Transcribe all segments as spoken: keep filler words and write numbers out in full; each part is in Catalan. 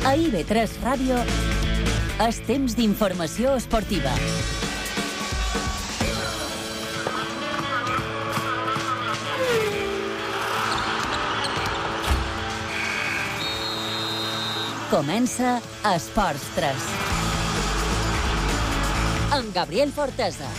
A I B tres Ràdio és temps d'informació esportiva. Comença Esports tres. Amb Gabriel Fortesa.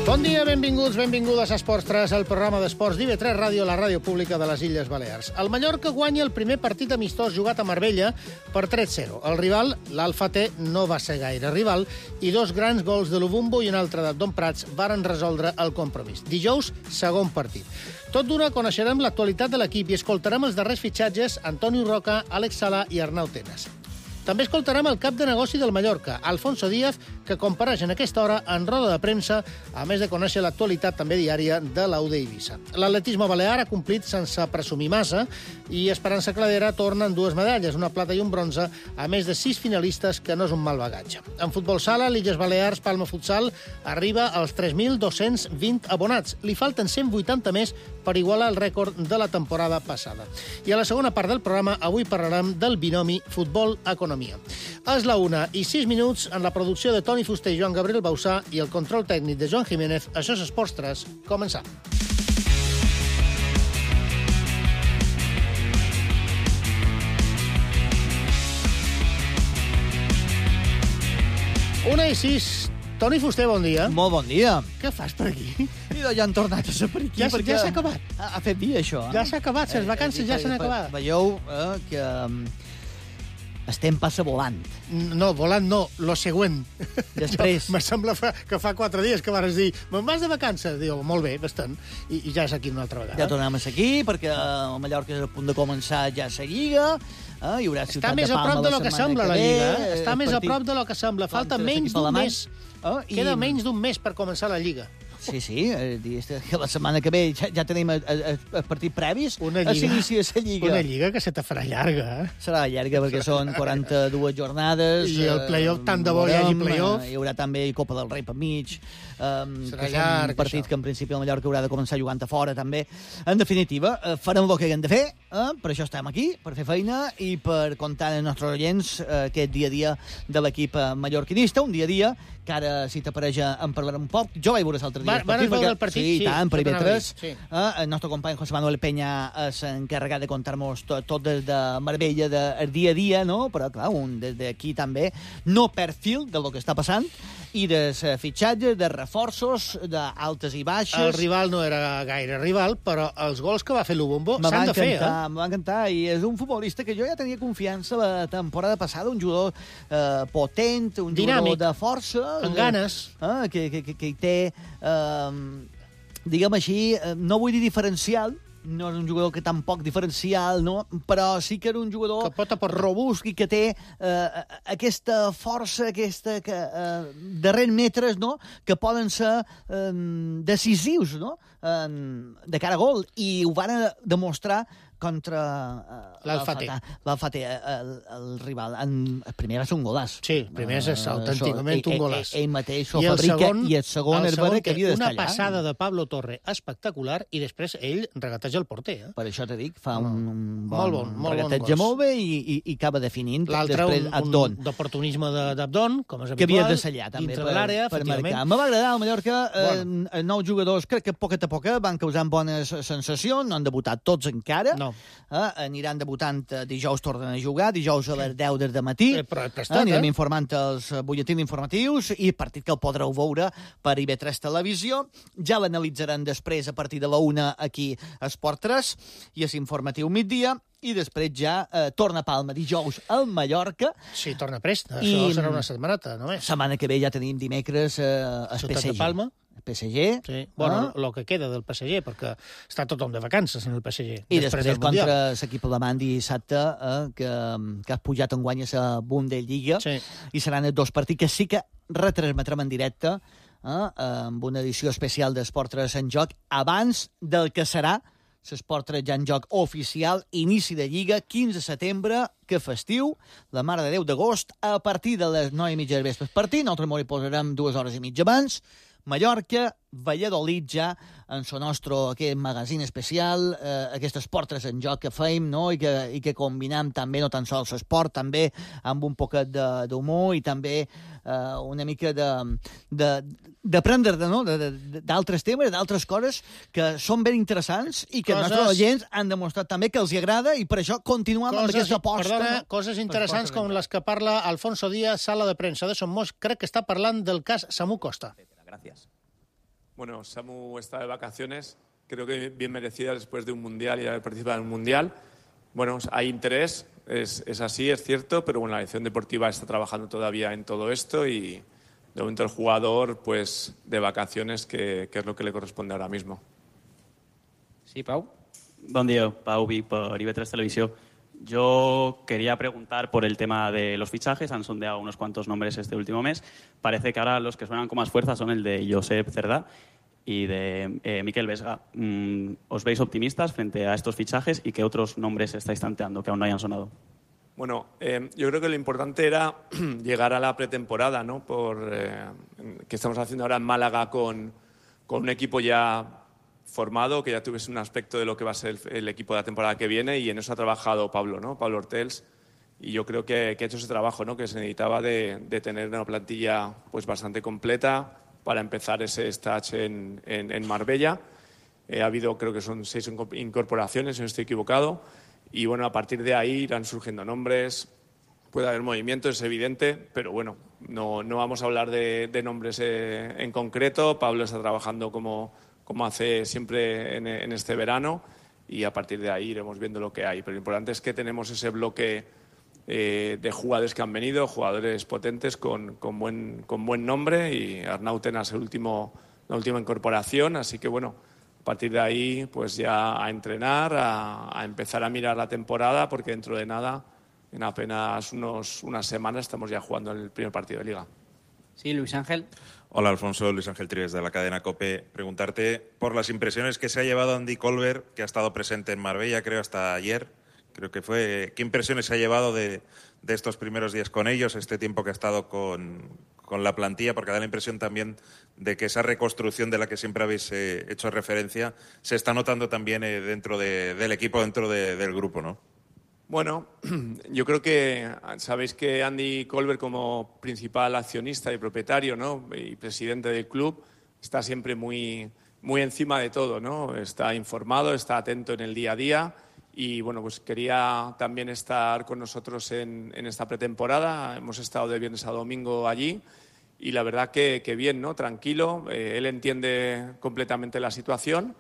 Bon dia, benvinguts, benvingudes a Esports tres, el programa d'esports d'I B tres Ràdio, la ràdio pública de les Illes Balears. El Mallorca guanya el primer partit amistós jugat a Marbella per tres a zero. El rival, l'Alfa T, no va ser gaire rival i dos grans gols de Lubumbo i un altre d'Abdon Prats varen resoldre el compromís. Dijous, segon partit. Tot d'una coneixerem l'actualitat de l'equip i escoltarem els darrers fitxatges Antonio Roca, Àlex Sala i Arnau Tenas. També escoltarem el cap de negoci del Mallorca, Alfonso Díaz, que compareix en aquesta hora en roda de premsa, a més de conèixer l'actualitat també diària de l'U D Eivissa. L'atletisme balear ha complit sense presumir massa i Esperança Cladera torna en dues medalles, una plata i un bronze, a més de sis finalistes, que no és un mal bagatge. En futbol sala, l'Illes Balears Palma Futsal arriba als tres mil dos-cents vint abonats. Li falten cent vuitanta més per igualar el rècord de la temporada passada. I a la segona part del programa avui parlarem del binomi futbol-economia. És la una i sis minuts en la producció de Toni Fuster i Joan Gabriel Bausà i el control tècnic de Joan Jiménez. Això és Esports tres. Començam. Una i sis. Toni Fuster, bon dia. Molt bon dia. Què fas per aquí? Mira, ja han tornat a ser per aquí. Ja, perquè ja s'ha acabat. Ha, ha fet dia, això. Eh? Ja s'ha acabat, les vacances ja s'han acabat. Veieu eh, que um, estem passa volant. No, volant no, lo següent. Després. Me sembla fa, que fa quatre dies que vas dir me'n vas de vacances. Diu, molt bé, bastant. I, I ja és aquí una altra vegada. Ja tornem a ser aquí, perquè el Mallorca és a punt de començar ja la Lliga. Eh? Hi haurà Ciutat Està més de a Palma prop de lo que sembla, la Lliga. Eh? Està més a prop de lo que sembla. Falta menys d'un mes. Oh, i... Queda menys d'un mes per començar la Lliga. Sí, sí, eh, que la setmana que ve ja, ja tenim el partit previs. Una lliga, s'inicia la Lliga. Una Lliga que se te farà llarga, eh? Serà llarga perquè són quaranta-dues jornades. I el play-off, tant de bo hi hagi play-off. Hi haurà també Copa del Rei per mig. Um, Serà que llarg, un partit això. Que en principi el Mallorca haurà de començar jugant a fora, també. En definitiva, eh, farem el que haguem de fer, eh? Per això estem aquí, per fer feina i per contar als nostres oients eh, aquest dia a dia de l'equip mallorquinista, un dia a dia que ara, si t'apareix, en parlarem un poc. Jo vaig veure l'altre dia Va, el partit. Van veure el partit? Sí, sí, tant, per I B tres. Sí. Eh, el nostre company José Manuel Peña és encarregat de contar-nos tot, tot des de Marbella, del dia a dia, no? Però, clar, un des d'aquí també no perd fil del que està passant i de fitxatges, de reforços, d'altes i baixes. El rival no era gaire rival, però els gols que va fer Lubombo s'han de fer, eh? Em va encantar, i és un futbolista que jo ja tenia confiança la temporada passada, un jugador eh, potent, un dinàmic, jugador de força. amb ganes. Eh, que, que, que, que hi té, eh, diguem així, eh, no vull dir diferencial, no és un jugador que tampoc diferencial, no? Però sí que era un jugador que pot aportar, robust i que té eh, aquesta força, aquesta que, eh, darrers metres, no? Que poden ser eh, decisius, no? Eh, de cara a gol, i ho van demostrar contra uh, l'Alfa T. L'Alfa T, el, el rival. En, el primer va ser un golàs. Sí, el primer és uh, autènticament un golàs. Ell, ell mateix ho I fabrica, segon, i el segon és vera que havia d'estar allà. Una passada de Pablo Torre espectacular, i després ell regateja el porter. Eh? Per això t'he dit, fa un, un bon, molt bon, molt regateja bon molt bé i, i, i acaba definint. L'altre, després, un, Abdon. un d'oportunisme d'Abdon, com és habitual. Que havia de sellar, també, dintre per, de l'àrea, per efectivament. marcar. Me va agradar el Mallorca. Bueno. Eh, nou jugadors, crec que poquet a poc van causant bones sensacions, no han debutat tots encara. No. Eh, aniran debutant eh, dijous, tornen a jugar, dijous a les deu del matí. Eh, però prestat, eh, anirem eh? informant els butlletins informatius i partit que el podreu veure per I B tres Televisió. Ja l'analitzaran després a partir de la una aquí a Esport tres i és informatiu migdia. I després ja eh, torna a Palma dijous al Mallorca. Sí, torna prest. I... Això serà una setmaneta, només. Setmana que ve ja tenim dimecres eh, el Ciutat P S G. de Palma. El P S G. Sí. Bueno, eh? el que queda del P S G, perquè està tothom de vacances en el P S G. I després, després contra l'equip alemany dissabte, eh, que, que has pujat en guanya la Bundesliga. Sí. I seran els dos partits que sí que retransmetrem en directe, eh, amb una edició especial d'Esport tres en joc, abans del que serà l'Esport tres ja en joc oficial, inici de Lliga, quinze de setembre, que festiu, la Mare de Déu d'agost, a partir de les nou i mitja del vespre partit. Nosaltres m'ho hi posarem dues hores i mitja abans, Mallorca, Valladolid ja, en el nostre aquest magazín especial, eh, aquestes portes en joc que feim, no? I, que, i que combinem també no tan sols l'esport, també amb un poquet d'humor i també eh, una mica de, de, d'aprendre no? d'altres temes, d'altres coses que són ben interessants i que coses... els nostres oients han demostrat també que els agrada i per això continuem coses, amb aquesta aposta. Perdona, no? Coses interessants com les que parla Alfonso Díaz, sala de premsa de Somos, crec que està parlant del cas Samu Costa. Gracias. Bueno, Samu está de vacaciones, creo que bien merecida después de un mundial y haber participado en un mundial. Bueno, hay interés, es, es así, es cierto, pero bueno, la dirección deportiva está trabajando todavía en todo esto y de momento el jugador, pues, de vacaciones, que, que es lo que le corresponde ahora mismo. Sí, Pau. Buen día, Pau Vic, por I V tres Televisión. Yo quería preguntar por el tema de los fichajes. Han sondeado unos cuantos nombres este último mes. Parece que ahora los que suenan con más fuerza son el de Josep Cerdá y de eh, Miquel Vesga. Mm, ¿Os veis optimistas frente a estos fichajes y qué otros nombres estáis tanteando que aún no hayan sonado? Bueno, eh, yo creo que lo importante era llegar a la pretemporada, ¿no? Por, eh, que estamos haciendo ahora en Málaga con, con un equipo ya formado, que ya tuviese un aspecto de lo que va a ser el, el equipo de la temporada que viene, y en eso ha trabajado Pablo, ¿no? Pablo Hortels, y yo creo que, que ha hecho ese trabajo, ¿no? Que se necesitaba de, de tener una plantilla pues bastante completa para empezar ese stage en, en, en Marbella. Eh, ha habido, creo que son seis incorporaciones, si no estoy equivocado, y bueno, a partir de ahí irán surgiendo nombres, puede haber movimientos, es evidente, pero bueno, no, no vamos a hablar de, de nombres eh, en concreto. Pablo está trabajando como como hace siempre en, en este verano, y a partir de ahí iremos viendo lo que hay. Pero lo importante es que tenemos ese bloque eh, de jugadores que han venido, jugadores potentes con, con, buen, con buen nombre, y Arnauten es el último, la última incorporación, así que bueno, a partir de ahí pues ya a entrenar, a, a empezar a mirar la temporada, porque dentro de nada, en apenas unos, unas semanas, estamos ya jugando el primer partido de Liga. Sí, Luis Ángel. Hola, Alfonso. Luis Ángel Trives, de la cadena COPE. Preguntarte por las impresiones que se ha llevado Andy Colbert, que ha estado presente en Marbella, creo, hasta ayer. Creo que fue. ¿Qué impresiones se ha llevado de, de estos primeros días con ellos, este tiempo que ha estado con, con la plantilla? Porque da la impresión también de que esa reconstrucción de la que siempre habéis eh, hecho referencia se está notando también eh, dentro de, del equipo, dentro de, del grupo, ¿no? Bueno, yo creo que sabéis que Andy Colbert, como principal accionista y propietario, ¿no? Y presidente del club, está siempre muy, muy encima de todo, ¿no? Está informado, está atento en el día a día, y bueno, pues quería también estar con nosotros en, en esta pretemporada. Hemos estado de viernes a domingo allí y la verdad que, que bien, ¿no? Tranquilo. Eh, él entiende completamente la situación.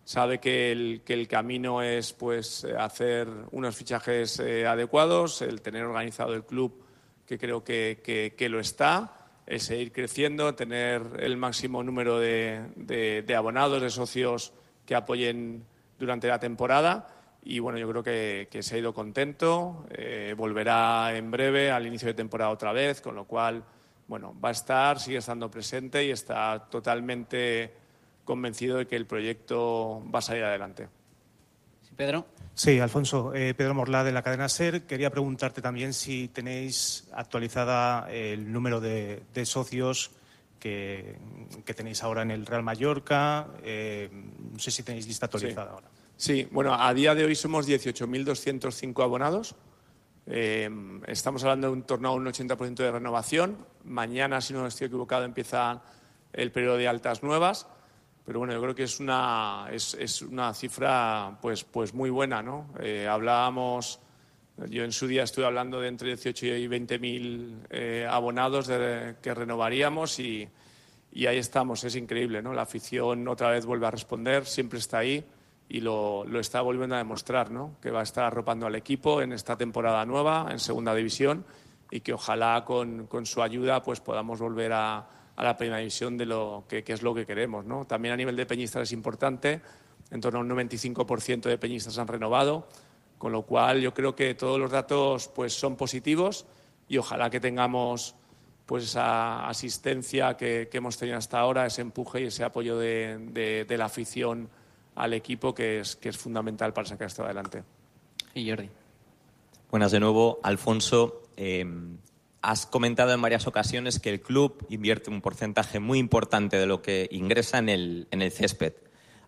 Sabe que el, que el camino es pues hacer unos fichajes eh, adecuados, el tener organizado el club, que creo que, que, que lo está, el seguir creciendo, tener el máximo número de, de, de abonados, de socios que apoyen durante la temporada. Y bueno, yo creo que, que se ha ido contento, eh, volverá en breve al inicio de temporada otra vez, con lo cual, bueno, va a estar, sigue estando presente y está totalmente convencido de que el proyecto va a salir adelante. Sí, Pedro. Sí, Alfonso. Eh, Pedro Morlá, de la cadena SER. Quería preguntarte también si tenéis actualizada el número de, de socios que, que tenéis ahora en el Real Mallorca. Eh, no sé si tenéis lista actualizada sí. ahora. Sí, bueno, a día de hoy somos dieciocho mil doscientos cinco abonados. Eh, estamos hablando de un torno a un ochenta por ciento de renovación. Mañana, si no estoy equivocado, empieza el periodo de altas nuevas. Pero bueno, yo creo que es una, es, es una cifra pues, pues muy buena, ¿no? Eh, hablábamos, yo en su día estuve hablando de entre dieciocho y veinte mil eh, abonados de, que renovaríamos, y, y ahí estamos. Es increíble, ¿no? La afición otra vez vuelve a responder, siempre está ahí y lo, lo está volviendo a demostrar, ¿no? Que va a estar arropando al equipo en esta temporada nueva, en segunda división, y que ojalá con, con su ayuda pues podamos volver a a la primera división, de lo que, que es lo que queremos, ¿no? También a nivel de peñistas es importante, en torno a un noventa y cinco por ciento de peñistas han renovado, con lo cual yo creo que todos los datos pues son positivos, y ojalá que tengamos pues esa asistencia que, que hemos tenido hasta ahora, ese empuje y ese apoyo de, de, de la afición al equipo, que es, que es fundamental para sacar esto adelante. Y Jordi. Buenas de nuevo, Alfonso. Eh, has comentado en varias ocasiones que el club invierte un porcentaje muy importante de lo que ingresa en el, en el césped.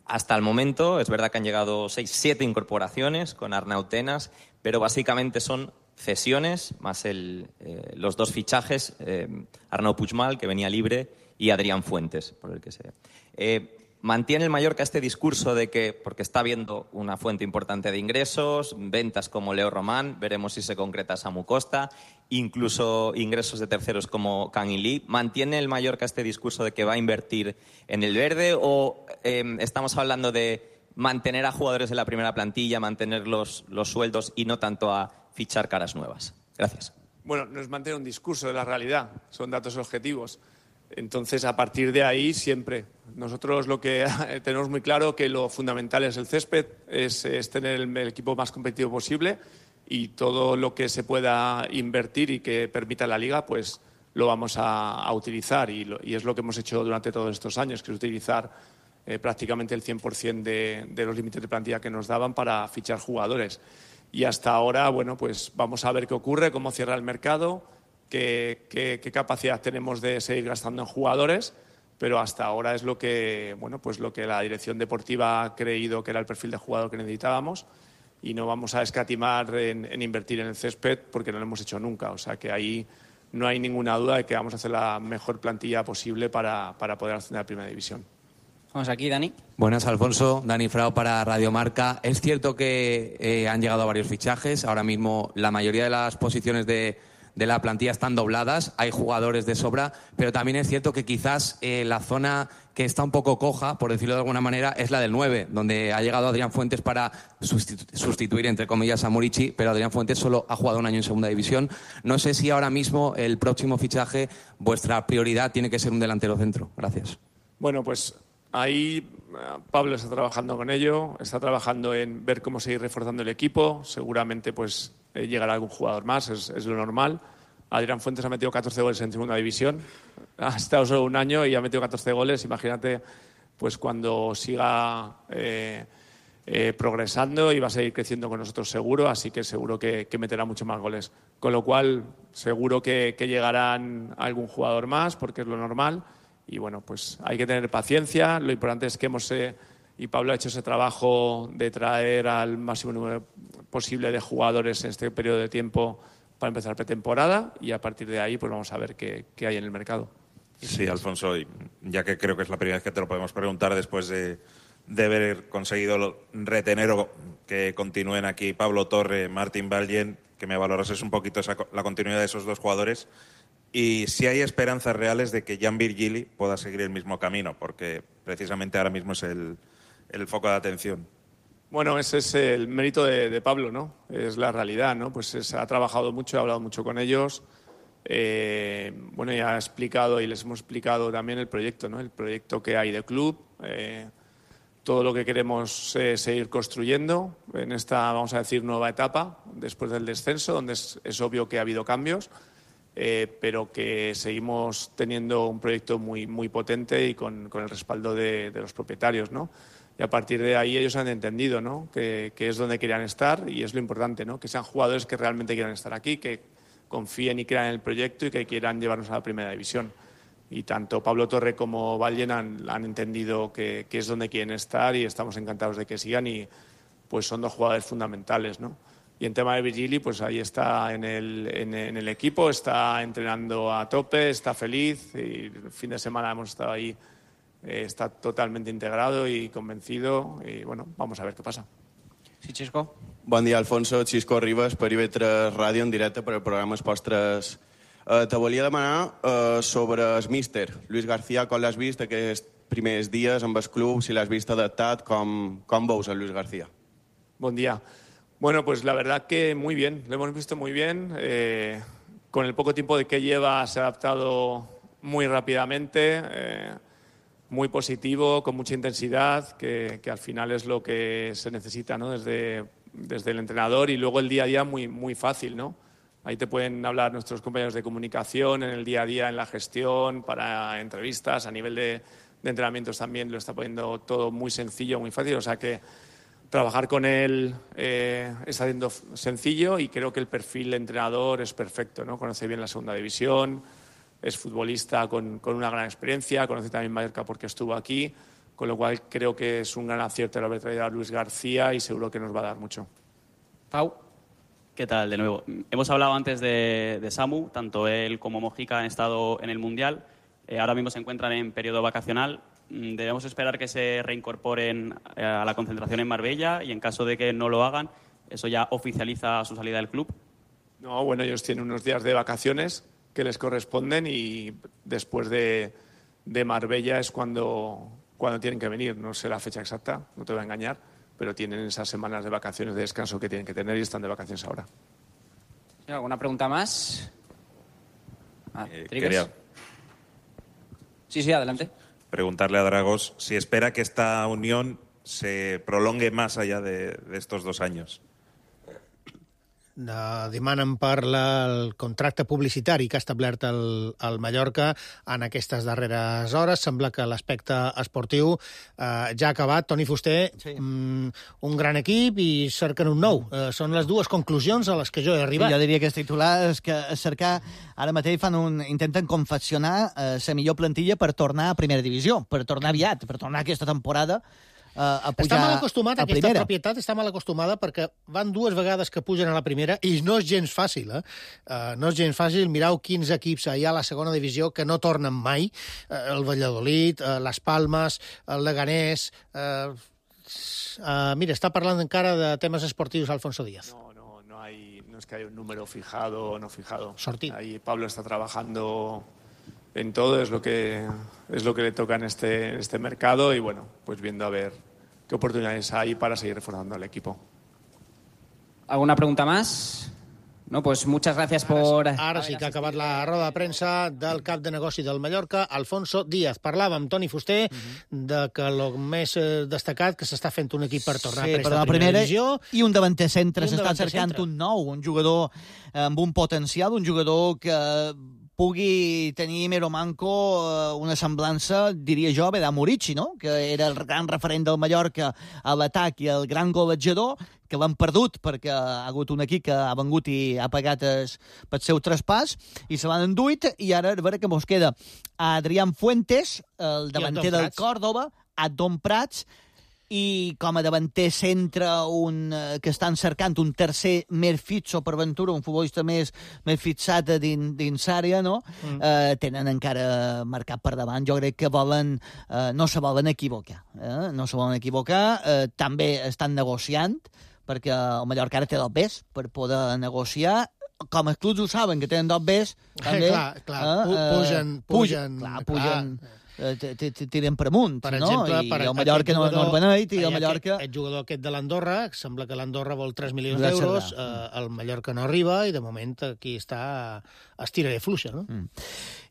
Hasta el momento es verdad que han llegado seis, siete incorporaciones con Arnau Tenas, pero básicamente son cesiones más el, eh, los dos fichajes, eh, Arnau Puigmal, que venía libre, y Adrián Fuentes, por el que sea. Eh, ¿Mantiene el Mallorca este discurso de que, porque está viendo una fuente importante de ingresos, ventas como Leo Román, veremos si se concreta Samu Costa, incluso ingresos de terceros como Kang In Lee, ¿mantiene el Mallorca este discurso de que va a invertir en el verde o eh, estamos hablando de mantener a jugadores de la primera plantilla, mantener los, los sueldos y no tanto a fichar caras nuevas? Gracias. Bueno, no es mantener un discurso de la realidad, son datos objetivos. Entonces, a partir de ahí, siempre. Nosotros lo que tenemos muy claro que lo fundamental es el césped, es, es tener el, el equipo más competitivo posible y todo lo que se pueda invertir y que permita la Liga, pues lo vamos a, a utilizar. Y, lo, y es lo que hemos hecho durante todos estos años, que es utilizar eh, prácticamente el cien por ciento de, de los límites de plantilla que nos daban para fichar jugadores. Y hasta ahora, bueno, pues vamos a ver qué ocurre, cómo cierra el mercado. Qué, qué, qué capacidad tenemos de seguir gastando en jugadores, pero hasta ahora es lo que, bueno, pues lo que la dirección deportiva ha creído que era el perfil de jugador que necesitábamos y no vamos a escatimar en, en invertir en el césped porque no lo hemos hecho nunca. O sea que ahí no hay ninguna duda de que vamos a hacer la mejor plantilla posible para, para poder ascender a Primera División. Vamos aquí, Dani. Buenas, Alfonso. Dani Frao para Radio Marca. Es cierto que eh, han llegado varios fichajes. Ahora mismo la mayoría de las posiciones de de la plantilla están dobladas, hay jugadores de sobra, pero también es cierto que quizás eh, la zona que está un poco coja, por decirlo de alguna manera, es la del nueve, donde ha llegado Adrián Fuentes para sustitu- sustituir, entre comillas, a Murici, pero Adrián Fuentes solo ha jugado un año en segunda división. No sé si ahora mismo el próximo fichaje, vuestra prioridad tiene que ser un delantero centro. Gracias. Bueno, pues ahí Pablo está trabajando con ello, está trabajando en ver cómo seguir reforzando el equipo, seguramente pues eh, llegará algún jugador más, es, es lo normal. Adrián Fuentes ha metido catorce goles en segunda división, ha estado solo un año y ha metido catorce goles, imagínate pues cuando siga eh, eh, progresando y va a seguir creciendo con nosotros seguro, así que seguro que, que meterá mucho más goles. Con lo cual seguro que, que llegarán algún jugador más porque es lo normal. Y bueno, pues hay que tener paciencia. Lo importante es que hemos, eh, y Pablo ha hecho ese trabajo de traer al máximo número posible de jugadores en este periodo de tiempo para empezar pretemporada y a partir de ahí pues vamos a ver qué, qué hay en el mercado. Sí, Alfonso, y ya que creo que es la primera vez que te lo podemos preguntar después de, de haber conseguido retener o que continúen aquí Pablo Torre, Martín Ballén, que me valorases un poquito esa, la continuidad de esos dos jugadores. Y si hay esperanzas reales de que Jan Virgili pueda seguir el mismo camino, porque precisamente ahora mismo es el, el foco de atención. Bueno, ese es el mérito de, de Pablo, ¿no? Es la realidad, ¿no? Pues es, ha trabajado mucho, ha hablado mucho con ellos. Eh, bueno, ya ha explicado y les hemos explicado también el proyecto, ¿no? El proyecto que hay de club, eh, todo lo que queremos eh, seguir construyendo en esta, vamos a decir, nueva etapa después del descenso, donde es, es obvio que ha habido cambios. Eh, pero que seguimos teniendo un proyecto muy, muy potente y con, con el respaldo de, de los propietarios, ¿no? Y a partir de ahí ellos han entendido, ¿no? que, que es donde querían estar y es lo importante, ¿no? Que sean jugadores que realmente quieran estar aquí, que confíen y crean en el proyecto y que quieran llevarnos a la Primera División. Y tanto Pablo Torre como Ballén han, han entendido que, que es donde quieren estar y estamos encantados de que sigan y pues son dos jugadores fundamentales, ¿no? Y en tema de Virgili, pues ahí está en el, en, en el equipo, está entrenando a tope, está feliz y el fin de semana hemos estado ahí, eh, está totalmente integrado y convencido y bueno, vamos a ver qué pasa. Sí, Xisco. Bon dia, Alfonso. Xisco Ribas per I V tres Ràdio en directe per al programa Esports tres. Eh, te volia demanar eh, sobre el míster Luis García, com l'has vist aquests primers dies amb el club, si l'has vist adaptat, com, com veus a Luis García? Bon dia. Bueno, pues la verdad que muy bien, lo hemos visto muy bien. Eh, con el poco tiempo de que lleva se ha adaptado muy rápidamente, eh, muy positivo, con mucha intensidad, que, que al final es lo que se necesita, ¿no? Desde, desde el entrenador y luego el día a día muy, muy fácil, ¿no? Ahí te pueden hablar nuestros compañeros de comunicación en el día a día, en la gestión, para entrevistas, a nivel de, de entrenamientos también lo está poniendo todo muy sencillo, muy fácil, o sea que trabajar con él eh, está siendo sencillo y creo que el perfil de entrenador es perfecto, ¿no? Conoce bien la segunda división, es futbolista con, con una gran experiencia, conoce también Mallorca porque estuvo aquí, con lo cual creo que es un gran acierto el haber traído a Luis García y seguro que nos va a dar mucho. Pau. ¿Qué tal, de nuevo? Hemos hablado antes de, de Samu, tanto él como Mojica han estado en el Mundial, eh, ahora mismo se encuentran en periodo vacacional. Debemos esperar que se reincorporen eh, a la concentración en Marbella y en caso de que no lo hagan, ¿eso ya oficializa su salida del club? No, bueno, ellos tienen unos días de vacaciones que les corresponden y después de, de Marbella es cuando, cuando tienen que venir. No sé la fecha exacta, no te voy a engañar, pero tienen esas semanas de vacaciones, de descanso que tienen que tener y están de vacaciones ahora. ¿Alguna pregunta más? Ah, Eh, ¿Trigues? quería Sí, sí, adelante. preguntarle a Dragos si espera que esta unión se prolongue más allá de, de estos dos años. Uh, demanen per la, el contracte publicitari que ha establert el, el Mallorca en aquestes darreres hores. Sembla que l'aspecte esportiu uh, ja ha acabat. Toni Fuster, sí. um, un gran equip i cerquen un nou. Uh, són les dues conclusions a les que jo he arribat. Sí, jo diria que els titulars que cercar ara mateix fan un, intenten confeccionar uh, la millor plantilla per tornar a primera divisió, per tornar aviat, per tornar aquesta temporada Uh, a pujar està mal acostumat, a aquesta primera. propietat està mal acostumada perquè van dues vegades que pugen a la primera i no és gens fàcil, eh? Uh, no és gens fàcil. Mireu quins equips hi ha a la segona divisió que no tornen mai. Uh, el Valladolid, uh, les Palmes, el Leganés... Uh, uh, mira, està parlant encara de temes esportius Alfonso Díaz. No, no, no, hay, no es que haya un número fijado o no fijado. Sortido. Ahí Pablo está trabajando en todo, es lo que es lo que le toca en este, en este mercado y bueno, pues viendo a ver qué oportunidades hay para seguir reforzando al equipo. ¿Alguna pregunta más? No, pues muchas gracias por... Ara sí que ha acabat la roda de premsa del cap de negoci del Mallorca, Alfonso Díaz. Parlava amb Toni Fuster de que el més eh, destacat que s'està fent un equip per tornar sí, a préstec per la a primera primera divisió. I un davanter centre, Un s'està davanter cercant centre. un nou, un jugador amb un potencial, un jugador que pugui tenir Mero Manco eh, una semblança, diria jo, bé, d'Amorici, no? Que era el gran referent del Mallorca a l'atac i el gran golejador, que l'han perdut perquè ha hagut un equip que ha vengut i ha pagat es, pel seu traspàs i se l'han enduit, i ara a veure què mos queda. A Adrián Fuentes, el davanter del Córdoba, a Don Prats, i com a davanter centre un, eh, que estan cercant un tercer més fitxo per Ventura, un futbolista més, més fixat dins, dins àrea, no? Mm. Eh, tenen encara marcat per davant. Jo crec que volen, eh, no se volen equivocar. Eh? No se volen equivocar. Eh, també estan negociant, perquè el Mallorca ara té dos Bs per poder negociar. Com els clubs ho saben, que tenen dos Bs, també... Eh, clar, clar, eh, pugen, pugen... Clar, pugen... Clar. tiren per amunt, per no? exemple, I per el Mallorca no, no el beneit, i el Mallorca... El jugador aquest de l'Andorra, sembla que l'Andorra vol tres milions d'euros, eh, el Mallorca no arriba, i de moment aquí està estira de fluixa, no? Mm.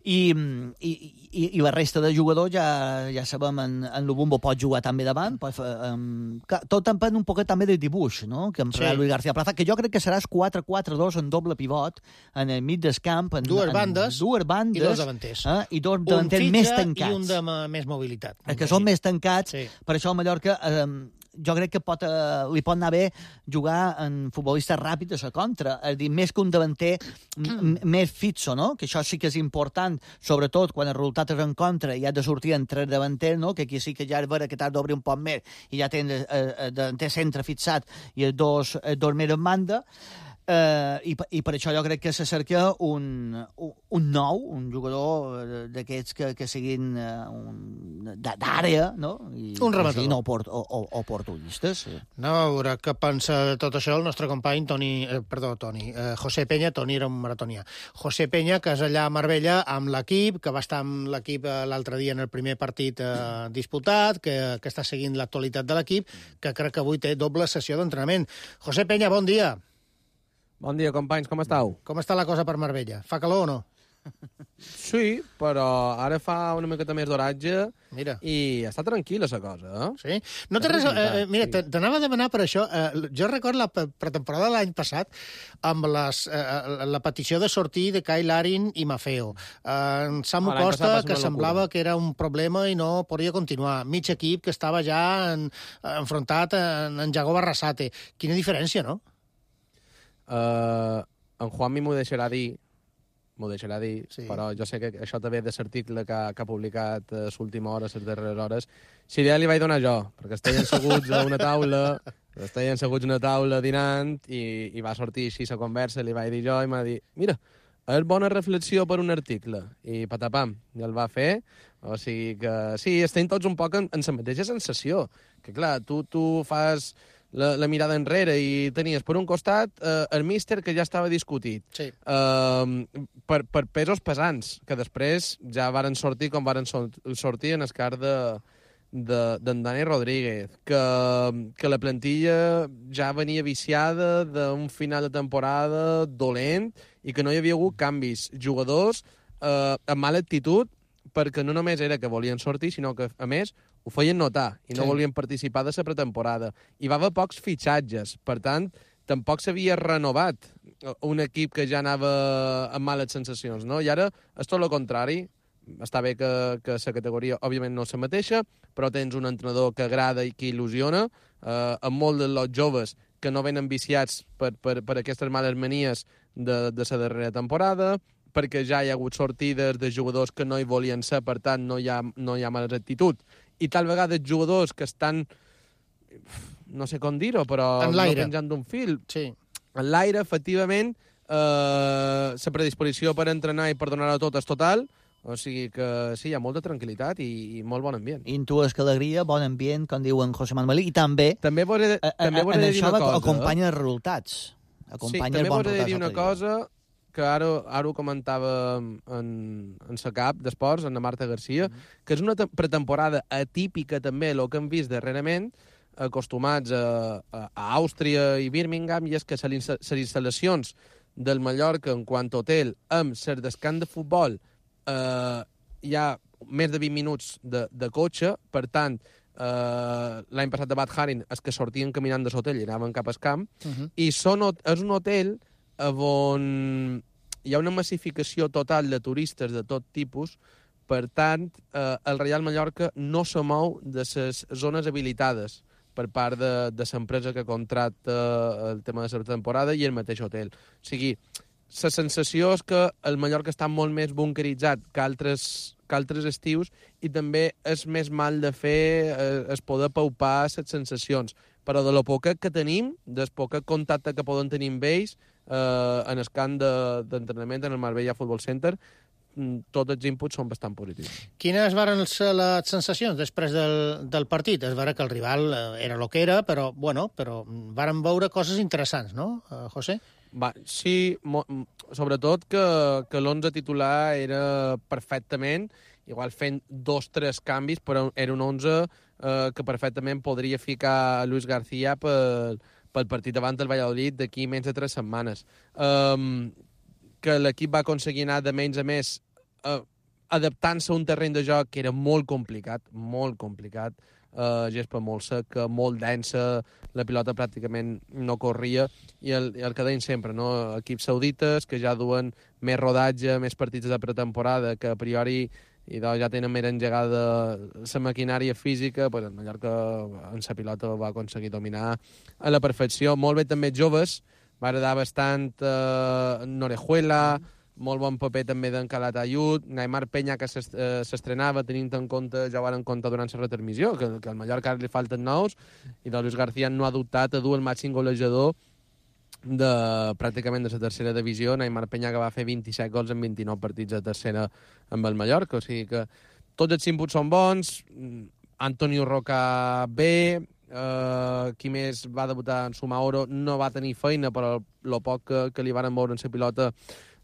I, i, i, i la resta de jugadors ja, ja sabem, en, en Lubumbo pot jugar també davant, pot fer, um, tot depèn un poquet també del dibuix, no? Que em sí. Luis García Plaza, que jo crec que seràs quatre quatre dos en doble pivot, en el mig del camp, en, dues en, bandes, dues bandes i dos davanters. Eh? I dos davanters més tancats. I un de més mobilitat. Que són més tancats, sí. Per això el Mallorca... Eh, jo crec que pot, eh, li pot anar bé jugar en futbolistes ràpids a la contra, és a dir, més que un davanter més fixo, no? Que això sí que és important, sobretot quan el resultat és en contra i has de sortir entre davanters, no? Que aquí sí que ja és vera que t'has d'obrir un poc més i ja tens el eh, davanter centre fixat i els dos, els dos més en banda. Uh, i, i per això jo crec que se cerca un, un, un nou, un jugador d'aquests que, que siguin uh, d'àrea, no? I, un rematador. Siguin oport, o, o, oportunistes. Sí. No, a veure què pensa de tot això el nostre company Toni, eh, perdó, Toni, eh, José Peña. Toni era un maratonià. José Peña, que és allà a Marbella amb l'equip, que va estar amb l'equip l'altre dia en el primer partit eh, disputat, que, que està seguint l'actualitat de l'equip, que crec que avui té doble sessió d'entrenament. José Peña, bon dia. Bon dia, companys, com estàu? Com està la cosa per Marbella? Fa calor o no? Sí, però ara fa una miqueta més d'oratge Mira. i està tranquil·la la cosa, eh? Sí? No té res... Eh, mira, sí. T'anava a demanar per això. Eh, jo record la pretemporada de l'any passat amb les, eh, la petició de sortir de Kyle Larin i Maffeo. Eh, Samu Ah, Costa, passat que va ser una semblava locura. que era un problema i no podia continuar. Mig equip que estava ja en, enfrontat en, en Jago Barrasate. Quina diferència, no? Uh, en Juanmi m'ho deixarà dir, m'ho deixarà dir, Sí. sí. Però jo sé que això també ve de l'article que, ha- que ha publicat a l'última hora, a les darreres hores. Si ja li vaig donar jo, perquè estaven asseguts a una taula, estaven asseguts a una taula dinant, i, i va sortir així la conversa, li vaig dir jo, i m'ha dit, mira, és bona reflexió per un article. I patapam, i el va fer. O sigui que sí, estem tots un poc en, en la mateixa sensació. Que clar, tu, tu fas la, la mirada enrere i tenies per un costat eh, el míster que ja estava discutit. Sí. Eh, per, per pesos pesants, que després ja varen sortir com varen sol- sortir en el cas de d'en de, Dani Rodríguez, que, que la plantilla ja venia viciada d'un final de temporada dolent i que no hi havia hagut canvis. Jugadors eh, amb mala actitud, perquè no només era que volien sortir, sinó que, a més, ho feien notar i no Sí. volien participar de la pretemporada. I va haver pocs fitxatges, per tant, tampoc s'havia renovat un equip que ja anava amb males sensacions, no? I ara és tot el contrari. Està bé que, que la categoria, òbviament, no és la mateixa, però tens un entrenador que agrada i que il·lusiona, eh, amb molts dels joves que no venen viciats per, per, per aquestes males manies de, de la darrera temporada, perquè ja hi ha hagut sortides de jugadors que no hi volien ser, per tant, no hi ha, no hi ha mala actitud. I tal vegada jugadors que estan, no sé com dir-ho, però En no l'aire. penjant d'un fil. Sí. En l'aire, efectivament, eh, la predisposició per entrenar i per donar-ho tot és total, o sigui que sí, hi ha molta tranquil·litat i, i molt bon ambient. Intues que alegria, bon ambient, com diu en José Manuel, i també, També vos he, a, a, també vos he en de dir això una cosa. acompanya els resultats. Sí, Acompanya també els bons vos he de dir resultats una del Madrid. cosa que ara, ara ho comentava en, en sa cap d'esports, en la Marta Garcia, mm -hmm. que és una te- pretemporada atípica també, el que hem vist darrerament, acostumats a, a, a Àustria i Birmingham, i és que les instal·lacions del Mallorca en quant a hotel amb ser descans de futbol eh, hi ha més de vint minuts de, de cotxe, per tant, eh, l'any passat de Bad Haring és que sortien caminant de l'hotel i anaven cap al camp, Uh -huh. i són, és un hotel on hi ha una massificació total de turistes de tot tipus, per tant, eh, el Reial Mallorca no se mou de les zones habilitades per part de, de l'empresa que contracta el tema de la temporada i el mateix hotel. O sigui, la sensació és que el Mallorca està molt més bunkeritzat que altres, que altres estius, i també és més mal de fer eh, es poder paupar les sensacions. Però de lo poquet que tenim, del poquet contacte que poden tenir amb ells, eh, en el camp de- d'entrenament, en el Marbella Football Center, mm, tots els inputs són bastant positius. Quines van ser les sensacions després del, del partit? Es veure que el rival eh, era el que era, però, bueno, però varen veure coses interessants, no, eh, José? Va, sí, mo, m- sobretot que, que l'onze titular era perfectament, igual fent dos o tres canvis, però era un onze eh, que perfectament podria ficar Luis García pel, pel partit davant del Valladolid d'aquí menys de tres setmanes. Um, que l'equip va aconseguir anar de menys a més eh, adaptant-se a un terreny de joc que era molt complicat, molt complicat, eh, gespa molt seca, molt densa, la pilota pràcticament no corria, i el, i el que deien sempre, no? Equips saudites que ja duen més rodatge, més partits de pretemporada, que a priori i doncs ja tenen més engegada la maquinària física, pues el Mallorca en la pilota va aconseguir dominar a la perfecció. Molt bé també joves, va agradar bastant eh, Norejuela, molt bon paper també d'en Calatayud, Neymar Peña, que s'est- eh, s'estrenava, tenint en compte, ja ho van en compte durant la retransmissió, que, que al Mallorca ara li falten nous, i doncs Luis García no ha dubtat a dur el màxim golejador de, pràcticament de la tercera divisió. Neymar Peña, que va fer vint-i-set gols en vint-i-nou partits de tercera amb el Mallorca, o sigui que tots els inputs són bons. Antonio Roca bé, eh, qui més va debutar en Sumaoro no va tenir feina, però el poc que, que li van moure en la pilota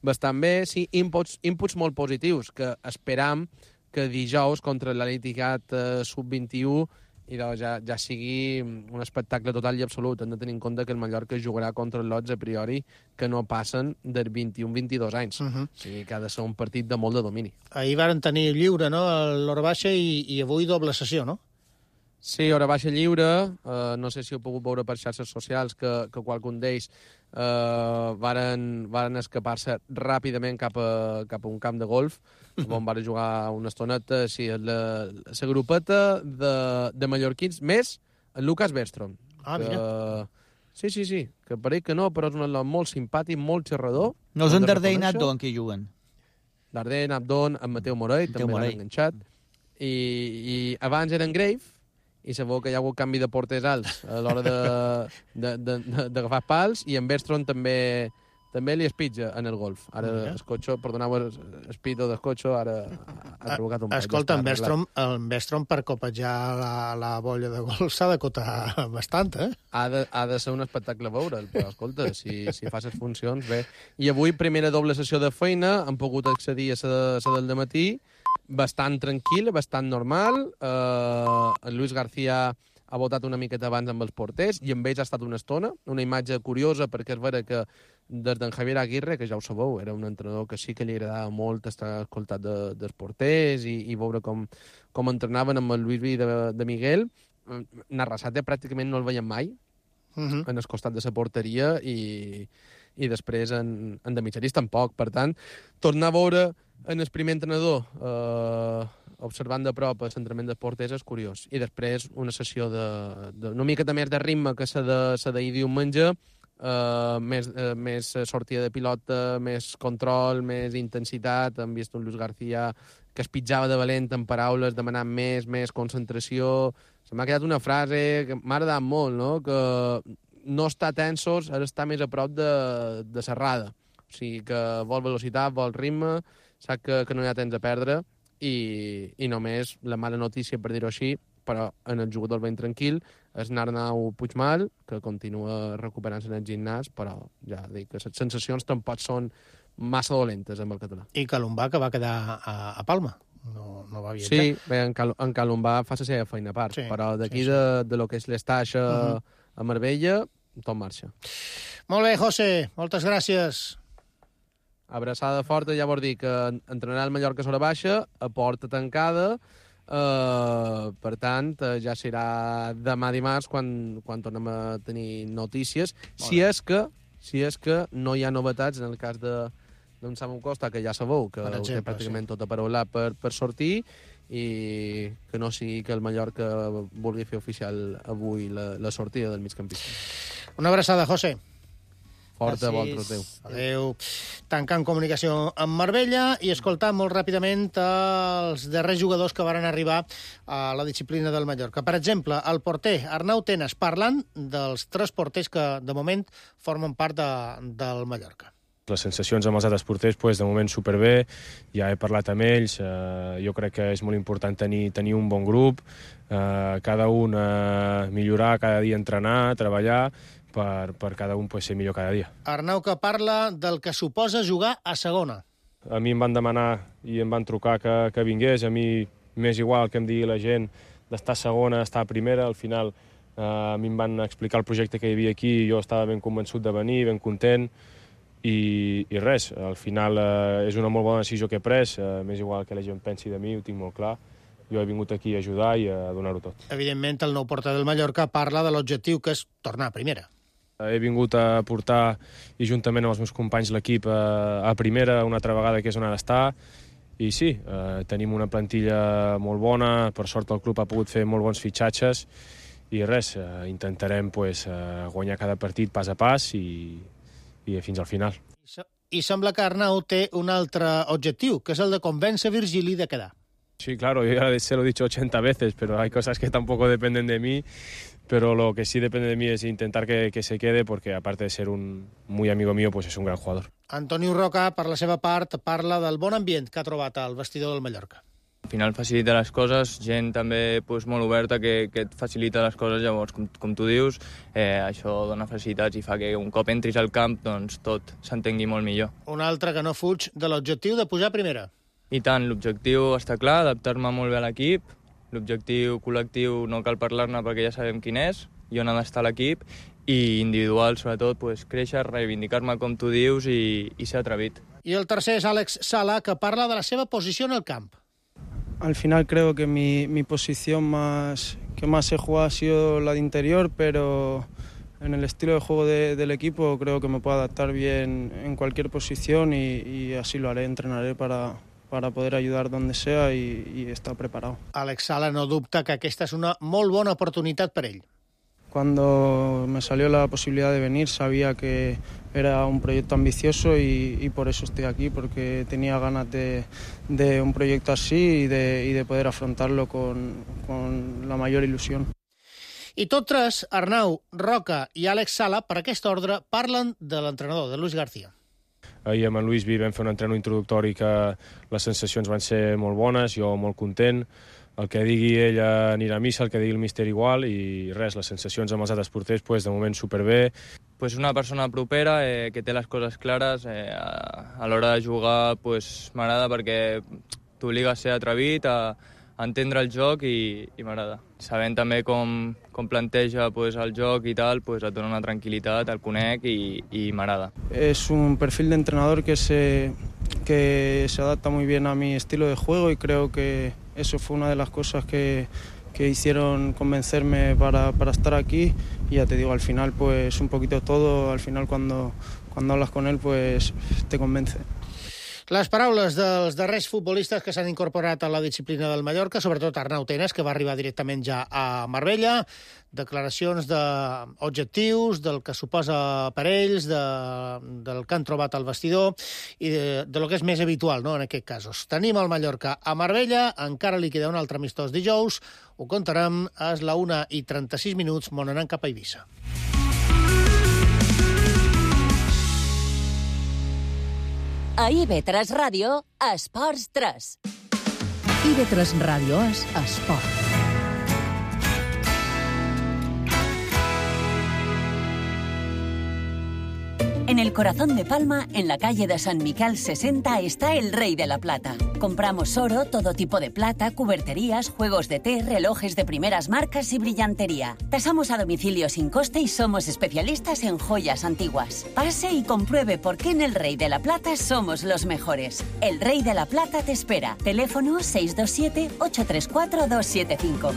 bastant bé. Sí, inputs, inputs molt positius, que esperam que dijous contra l'Al-Ittihad eh, sub vint i u i doncs ja, ja sigui un espectacle total i absolut. Hem de tenir en compte que el Mallorca jugarà contra els lots a priori que no passen dels vint-i-un vint-i-dos anys. Uh -huh. O sigui que ha de ser un partit de molt de domini. Ahir varen tenir lliure, no?, l'hora baixa i, i avui doble sessió, no? Sí, hora baixa lliure. Uh, no sé si heu pogut veure per xarxes socials que, que qualcun d'ells uh, varen, varen escapar-se ràpidament cap a, cap a un camp de golf on van jugar una estoneta. Sí, la, la grupeta de, de mallorquins, més el Lucas Bergström. Ah, que, mira. Sí, sí, sí, que pareix que no, però és un atleta molt simpàtic, molt xerrador. No és en Darder i Nabdon que hi juguen. Darder, Nabdon, en Mateu Morell, també l'han enganxat. I, I abans eren Grave, i sabeu que hi ha hagut canvi de porters alts a l'hora d'agafar pals, i en Bergström també també li espitja en el golf. Ara el cotxo, perdoneu el pito del cotxo, ara ha provocat un... Escolta, en Bergström, en Bergström per copejar la, la bolla de golf s'ha de cotar bastant, eh? Ha de, ha de ser un espectacle veure'l, però escolta, si, si fas les funcions, bé. I avui, primera doble sessió de feina, han pogut accedir a la, a la del dematí, bastant tranquil, bastant normal. Uh, en Luis García ha votat una miqueta abans amb els porters i amb ells ha estat una estona, una imatge curiosa, perquè és vera que des d'en Javier Aguirre, que ja ho sabeu, era un entrenador que sí que li agradava molt estar escoltat de, dels porters i, i veure com, com entrenaven amb el Luis Vi de, de Miguel. Narrasate pràcticament no el veiem mai, uh -huh. en el costat de la porteria, i, i després en, en de mitjaris tampoc. Per tant, tornar a veure en el primer entrenador eh, observant de prop el centrament dels porters és curiós. I després una sessió de, de una miqueta més de ritme que la de, la d'ahir diumenge, Uh, més, uh, més sortida de pilota, més control, més intensitat. Hem vist un Luis García que es pitjava de valent en paraules, demanant més, més concentració. Se m'ha quedat una frase que m'ha agradat molt, no? Que no està tensos, ara està més a prop de, de serrada. O sigui, que vol velocitat, vol ritme, sap que, que no hi ha temps a perdre, i, i només la mala notícia, per dir-ho així, però en el jugador ben tranquil, és Arnau Puigmal, que continua recuperant-se en el gimnàs, però ja dic que les sensacions tampoc són massa dolentes amb el català. I Calombà, que va quedar a, a Palma. No, no va viatjar. Sí, bé, en, Cal en Calombà fa la seva feina a part, sí, però d'aquí sí, sí. de, de lo que és l'estaix a, uh -huh. a Marbella, tot marxa. Molt bé, José, moltes gràcies. Abraçada forta, ja vol dir que entrenarà el Mallorca sobre baixa, a porta tancada. Uh, per tant, uh, ja serà demà dimarts quan, quan tornem a tenir notícies, si és que si és que no hi ha novetats en el cas de d'en Samu Costa, que ja sabeu que exemple, ho té pràcticament sí. tot aparaulat per, per sortir, i que no sigui que el Mallorca vulgui fer oficial avui la, la sortida del migcampista. Una abraçada, José. Forta, vosaltres, adéu. Adéu. Tancant comunicació amb Marbella i escoltant molt ràpidament els darrers jugadors que varen arribar a la disciplina del Mallorca. Per exemple, el porter Arnau Tenas, parlant dels tres porters que, de moment, formen part de, del Mallorca. Les sensacions amb els altres porters, pues, de moment superbé, ja he parlat amb ells, eh, jo crec que és molt important tenir, tenir un bon grup, eh, cada un eh, millorar, cada dia entrenar, treballar, per, per cada un pues, ser millor cada dia. Arnau, que parla del que suposa jugar a segona. A mi em van demanar i em van trucar que, que vingués, a mi m'és igual que em digui la gent d'estar a segona, estar a primera, al final eh, a mi em van explicar el projecte que hi havia aquí i jo estava ben convençut de venir, ben content, i, i res, al final eh, és una molt bona decisió que he pres, eh, m'és igual que la gent pensi de mi, ho tinc molt clar. Jo he vingut aquí a ajudar i a donar-ho tot. Evidentment, el nou porter del Mallorca parla de l'objectiu, que és tornar a primera. He vingut a portar, i juntament amb els meus companys, l'equip a, a primera una altra vegada, que és on ha d'estar. I sí, eh, tenim una plantilla molt bona, per sort el club ha pogut fer molt bons fitxatges, i res, eh, intentarem pues, eh, guanyar cada partit pas a pas i, i fins al final. I sembla que Arnau té un altre objectiu, que és el de convèncer Virgili de quedar. Sí, claro, yo ya se lo he dicho ochenta veces, pero hay cosas que tampoco dependen de mí, pero lo que sí depende de mí es intentar que, que se quede, porque aparte de ser un muy amigo mío, pues es un gran jugador. Antonio Roca, per la seva part, parla del bon ambient que ha trobat al vestidor del Mallorca. Al final facilita les coses, gent també pues, molt oberta que, que et facilita les coses, llavors, com, com tu dius, eh, això dona facilitats i fa que un cop entris al camp doncs, tot s'entengui molt millor. Un altre que no fuig de l'objectiu de pujar a primera. I tant, l'objectiu està clar, adaptar-me molt bé a l'equip l'objectiu col·lectiu no cal parlar-ne perquè ja sabem quin és i on ha d'estar l'equip, i individual, sobretot, pues, créixer, reivindicar-me, com tu dius, i, i ser atrevit. I el tercer és Àlex Sala, que parla de la seva posició en el camp. Al final creo que mi, mi posición más, que más he jugado ha sido la de interior, pero en el estilo de juego de, del equipo creo que me puedo adaptar bien en cualquier posición y, y así lo haré, entrenaré para, para poder ayudar donde sea y, y estar preparado. Àlex Sala no dubta que aquesta és una molt bona oportunitat per ell. Cuando me salió la posibilidad de venir sabía que era un proyecto ambicioso y, y por eso estoy aquí, porque tenía ganas de, de un proyecto así y de, y de poder afrontarlo con, con la mayor ilusión. I tots tres, Arnau, Roca i Àlex Sala, per aquest ordre, parlen de l'entrenador, de Luis García. Ahir amb en Luis Vi vam fer un entreno introductori que les sensacions van ser molt bones, jo molt content. El que digui ell anirà a missa, el que digui el míster igual, i res, les sensacions amb els altres porters, pues, de moment superbé. Pues una persona propera, eh, que té les coses clares, eh, a, a l'hora de jugar pues, m'agrada perquè t'obliga a ser atrevit, a, a entendre el joc i, i m'agrada. Sabent també com, com planteja pues, el joc i tal, pues, et dona una tranquil·litat, el conec i, i m'agrada. Es un perfil de entrenador que se, que se adapta muy bien a mi estilo de juego y creo que eso fue una de las cosas que, que hicieron convencerme para, para estar aquí. Y ya te digo, al final, pues un poquito todo, al final cuando, cuando hablas con él, pues te convence. Les paraules dels darrers futbolistes que s'han incorporat a la disciplina del Mallorca, sobretot Arnau Tenas, que va arribar directament ja a Marbella, declaracions d'objectius, del que suposa per ells, de, del que han trobat al vestidor i de, de lo que és més habitual, no?, en aquests casos. Tenim el Mallorca a Marbella, encara li queda un altre amistós dijous, ho contarem, és la una i trenta-sis minuts, m'on anem cap a Eivissa. A I V tres Ràdio, Esports tres. I V tres Ràdio és esport. En el corazón de Palma, en la calle de San Miquel sesenta, está el Rey de la Plata. Compramos oro, todo tipo de plata, cuberterías, juegos de té, relojes de primeras marcas y brillantería. Tasamos a domicilio sin coste y somos especialistas en joyas antiguas. Pase y compruebe por qué en el Rey de la Plata somos los mejores. El Rey de la Plata te espera. Teléfono seis dos siete, ocho tres cuatro, dos siete cinco.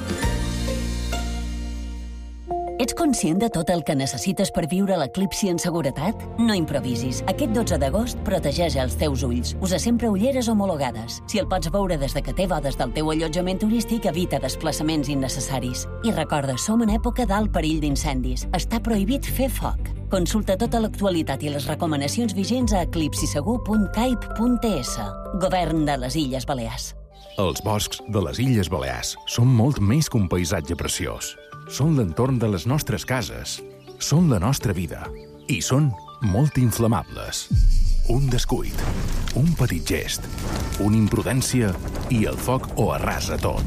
Ets conscient de tot el que necessites per viure l'eclipsi en seguretat? No improvisis. Aquest dotze d'agost protegeix els teus ulls. Usa sempre ulleres homologades. Si el pots veure des de que té bodes del teu allotjament turístic, evita desplaçaments innecessaris. I recorda, som en època d'alt perill d'incendis. Està prohibit fer foc. Consulta tota l'actualitat i les recomanacions vigents a eclipsisegur punt caip punt es. Govern de les Illes Balears. Els boscs de les Illes Balears són molt més que un paisatge preciós. Són l'entorn de les nostres cases, són la nostra vida i són molt inflamables. Un descuit, un petit gest, una imprudència i el foc ho arrasa tot.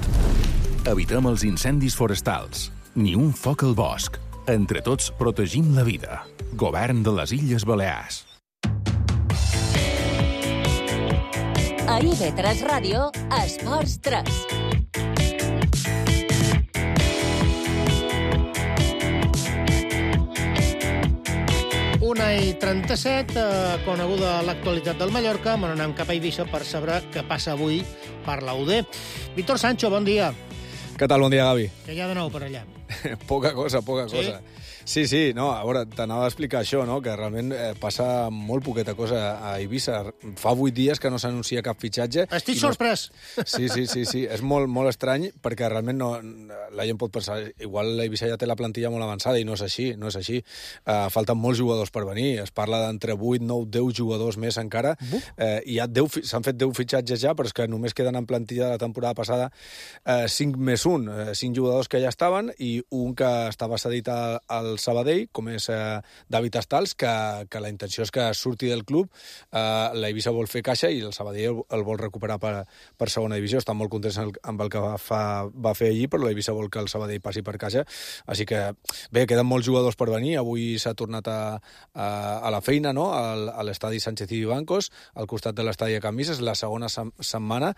Evitem els incendis forestals, ni un foc al bosc. Entre tots protegim la vida. Govern de les Illes Balears. A I V tres Ràdio, Esports tres. una i trenta-set, eh, coneguda l'actualitat del Mallorca, me n'anem cap a Eivissa per saber què passa avui per la U D. Víctor Sancho, bon dia. Què tal? Bon dia, Gavi. Què hi ha de nou per allà? Poca cosa, poca sí? cosa. Sí, sí, no, a veure, t'anava a explicar això, no?, que realment eh, passa molt poqueta cosa a Eivissa. Fa vuit dies que no s'anuncia cap fitxatge. Estic no... sorprès! Sí, sí, sí, sí, és molt, molt estrany, perquè realment no, la gent pot pensar, igual l'Eivissa ja té la plantilla molt avançada, i no és així, no és així. Uh, falten molts jugadors per venir, es parla d'entre vuit, nou, deu jugadors més encara. Uh, i ja s'han fet deu fitxatges ja, però és que només queden en plantilla de la temporada passada uh, cinc més un, uh, cinc jugadors que ja estaven, i un que estava cedit al del Sabadell, com és eh, David Estals, que, que la intenció és que surti del club, eh, la Eivissa vol fer caixa i el Sabadell el, el vol recuperar per, per segona divisió. Estan molt contents amb el que va, fa, va fer allí, però la Eivissa vol que el Sabadell passi per caixa. Així que, bé, queden molts jugadors per venir. Avui s'ha tornat a, a, a la feina, no?, al, a l'estadi Sánchez i Vivancos, al costat de l'estadi de Can Vies, la segona sem setmana,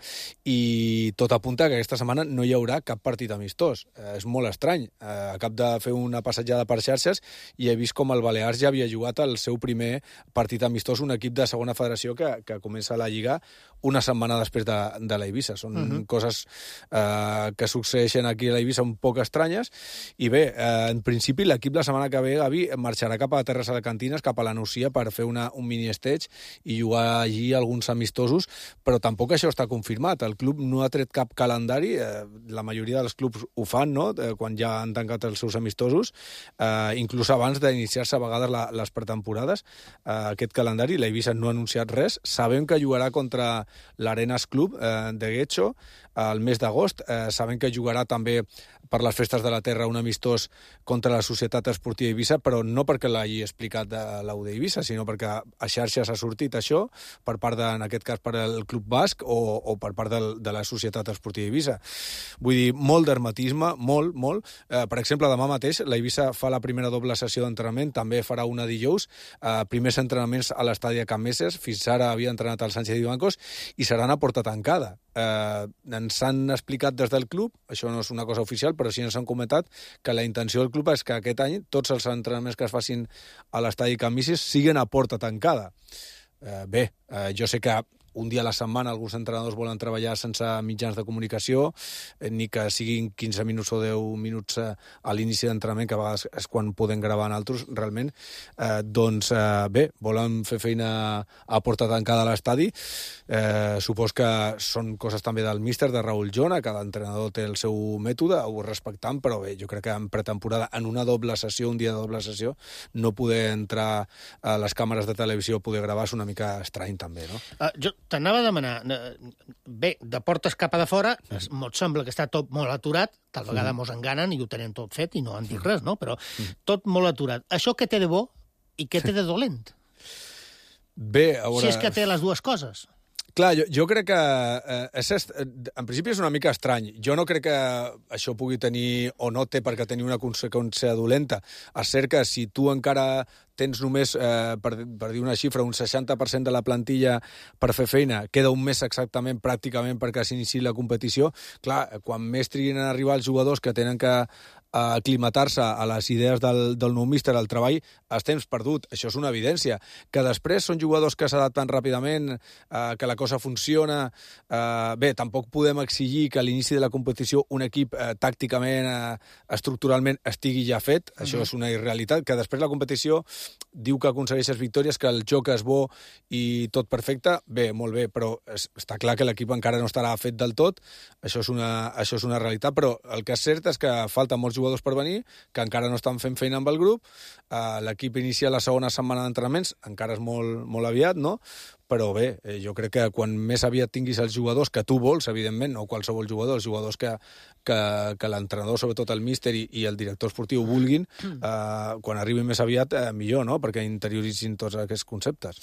i tot apunta que aquesta setmana no hi haurà cap partit amistós. Eh, és molt estrany. Eh, acab de fer una passejada per xarxes i he vist com el Balears ja havia jugat el seu primer partit amistós, un equip de segona federació que, que comença la Lliga una setmana després de, de la Eivissa. Són uh-huh. coses eh, que succeeixen aquí a la Eivissa un poc estranyes. I bé, eh, en principi l'equip la setmana que ve, Gavi, marxarà cap a Terres Alacantines, cap a la Nucia, per fer una, un mini-stage i jugar allí alguns amistosos, però tampoc això està confirmat. El club no ha tret cap calendari, eh, la majoria dels clubs ho fan, no?, eh, quan ja han tancat els seus amistosos, eh, inclús abans d'iniciar-se a vegades la, les pretemporades, eh, aquest calendari. La Eivissa no ha anunciat res. Sabem que jugarà contra l'Arenas Club eh, de Guecho al mes d'agost. Eh, sabem que jugarà també per les festes de la Terra un amistós contra la Societat Esportiva Eivissa, però no perquè l'hagi explicat de l'U D Eivissa, sinó perquè a xarxes ha sortit això, per part de, en aquest cas, per el Club Basc o, o per part de, de la Societat Esportiva Eivissa. Vull dir, molt d'hermetisme, molt, molt. Eh, per exemple, demà mateix la Eivissa fa la primera doble sessió d'entrenament, també farà una dijous, eh, primers entrenaments a l'estadi de Can Meses, fins ara havia entrenat al Sánchez i Vivancos, i seran a porta tancada. Eh, ens han explicat des del club, això no és una cosa oficial, però sí ens han comentat que la intenció del club és que aquest any tots els entrenaments que es facin a l'estadi Can Vies siguin a porta tancada. Eh, bé, eh, jo sé que un dia a la setmana alguns entrenadors volen treballar sense mitjans de comunicació, eh, ni que siguin quinze minuts o deu minuts eh, a l'inici d'entrenament, que a vegades és quan podem gravar en altres, realment. Eh, doncs, eh, bé, volen fer feina a porta tancada a l'estadi. Eh, supos que són coses també del míster, de Raúl Jona, cada entrenador té el seu mètode, ho respectam, però bé, jo crec que en pretemporada, en una doble sessió, un dia de doble sessió, no poder entrar a les càmeres de televisió, poder gravar, és una mica estrany també, no? Uh, jo t'anava a demanar, bé, de portes cap a de fora, mm. mos sembla que està tot molt aturat, tal vegada mm. mos enganen i ho tenen tot fet i no han dit res, no? Però mm. tot molt aturat. Això què té de bo i què té de dolent? Bé, a veure... Si és que té les dues coses. Clar, jo, jo crec que eh, és, en principi és una mica estrany. Jo no crec que això pugui tenir, o no té perquè tenir una conseqüència dolenta. És cert que si tu encara tens només, eh, per, per dir una xifra, un seixanta per cent de la plantilla per fer feina, queda un mes exactament, pràcticament, perquè s'iniciï la competició, clar, quan més triguin a arribar els jugadors que tenen que a aclimatar-se a les idees del, del nou míster, al treball, és temps perdut. Això és una evidència. Que després són jugadors que s'adapten ràpidament, eh, que la cosa funciona. Eh, bé, tampoc podem exigir que a l'inici de la competició un equip eh, tàcticament, eh, estructuralment, estigui ja fet. Uh-huh. Això és una irrealitat. Que després la competició diu que aconsegueixes victòries, que el joc és bo i tot perfecte. Bé, molt bé, però es, està clar que l'equip encara no estarà fet del tot. Això és una, això és una realitat, però el que és cert és que falta molts jugadors per venir, que encara no estan fent feina amb el grup. Uh, l'equip inicia la segona setmana d'entrenaments, encara és molt, molt aviat, no? Però bé, eh, jo crec que quan més aviat tinguis els jugadors que tu vols, evidentment, no qualsevol jugador, els jugadors que, que, que l'entrenador, sobretot el míster i, i el director esportiu vulguin, eh, quan arribin més aviat, eh, millor, no?, perquè interioritzin tots aquests conceptes.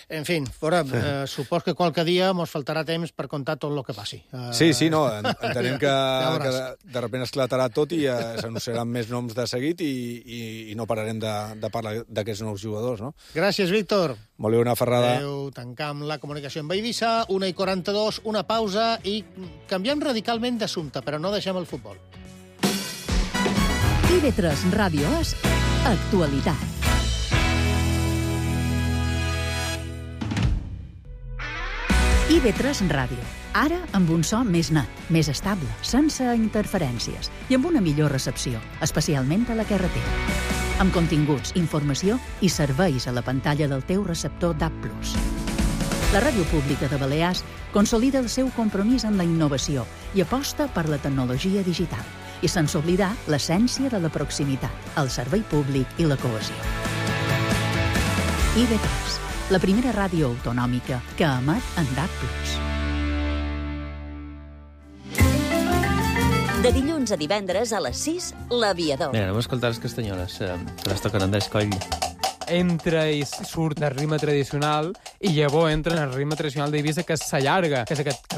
En fi, fora, eh, supos que qualque dia mos faltarà temps per contar tot el que passi. Uh... Sí, sí, no, entenem que, ja que de, de repente esclatarà tot i eh, s'anunciaran més noms de seguit i, i, i no pararem de, de parlar d'aquests nous jugadors, no? Gràcies, Víctor. Molt bé, una ferrada. Adéu, tancam la comunicació amb Eivissa, una i quaranta-dos, una pausa i canviem radicalment d'assumpte, però no deixem el futbol. I V tres Ràdio És Actualitat. I V tres Ràdio. Ara amb un so més net, més estable, sense interferències i amb una millor recepció, especialment a la carretera. Amb continguts, informació i serveis a la pantalla del teu receptor D A B plus. La Ràdio Pública de Balears consolida el seu compromís amb la innovació i aposta per la tecnologia digital i sense oblidar l'essència de la proximitat, el servei públic i la cohesió. I V tres, la primera ràdio autonòmica que emet en D A B plus. De dilluns a divendres a les sis, L'Aviador. Mira, anem a escoltar les castanyoles, eh, que les toquen Andrés Coll. Entra i surt el ritme tradicional i llavors entra en el ritme tradicional d'Eivissa, que s'allarga, que és aquest...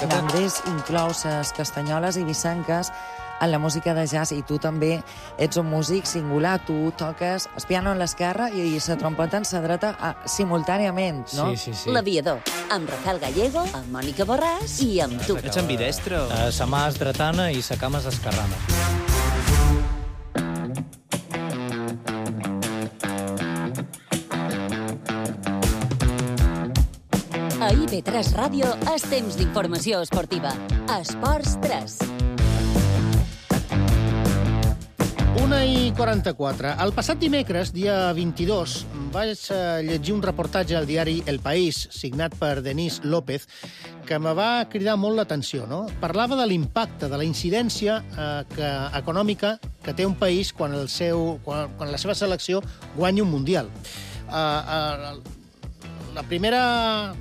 L'Andrés inclou les castanyoles eivissenques en la música de jazz, i tu també ets un músic singular. Tu toques el piano en l'esquerra i la trompeta en la dreta simultàniament, no? Sí, sí, sí. L'Aviador, amb Rafael Gallego, amb Mònica Borràs i amb tu. Ets ambidestro. Uh, sa mà és dretana i sa cama és esquerrana. A I V tres Ràdio és temps d'informació esportiva. Esports tres. una i quaranta-quatre. El passat dimecres, dia vint-i-dos, vaig llegir un reportatge al diari El País, signat per Denis López, que me va cridar molt l'atenció, no? Parlava de l'impacte, de la incidència eh, que, econòmica que té un país quan, el seu, quan, quan la seva selecció guanya un mundial. Eh, eh, la primera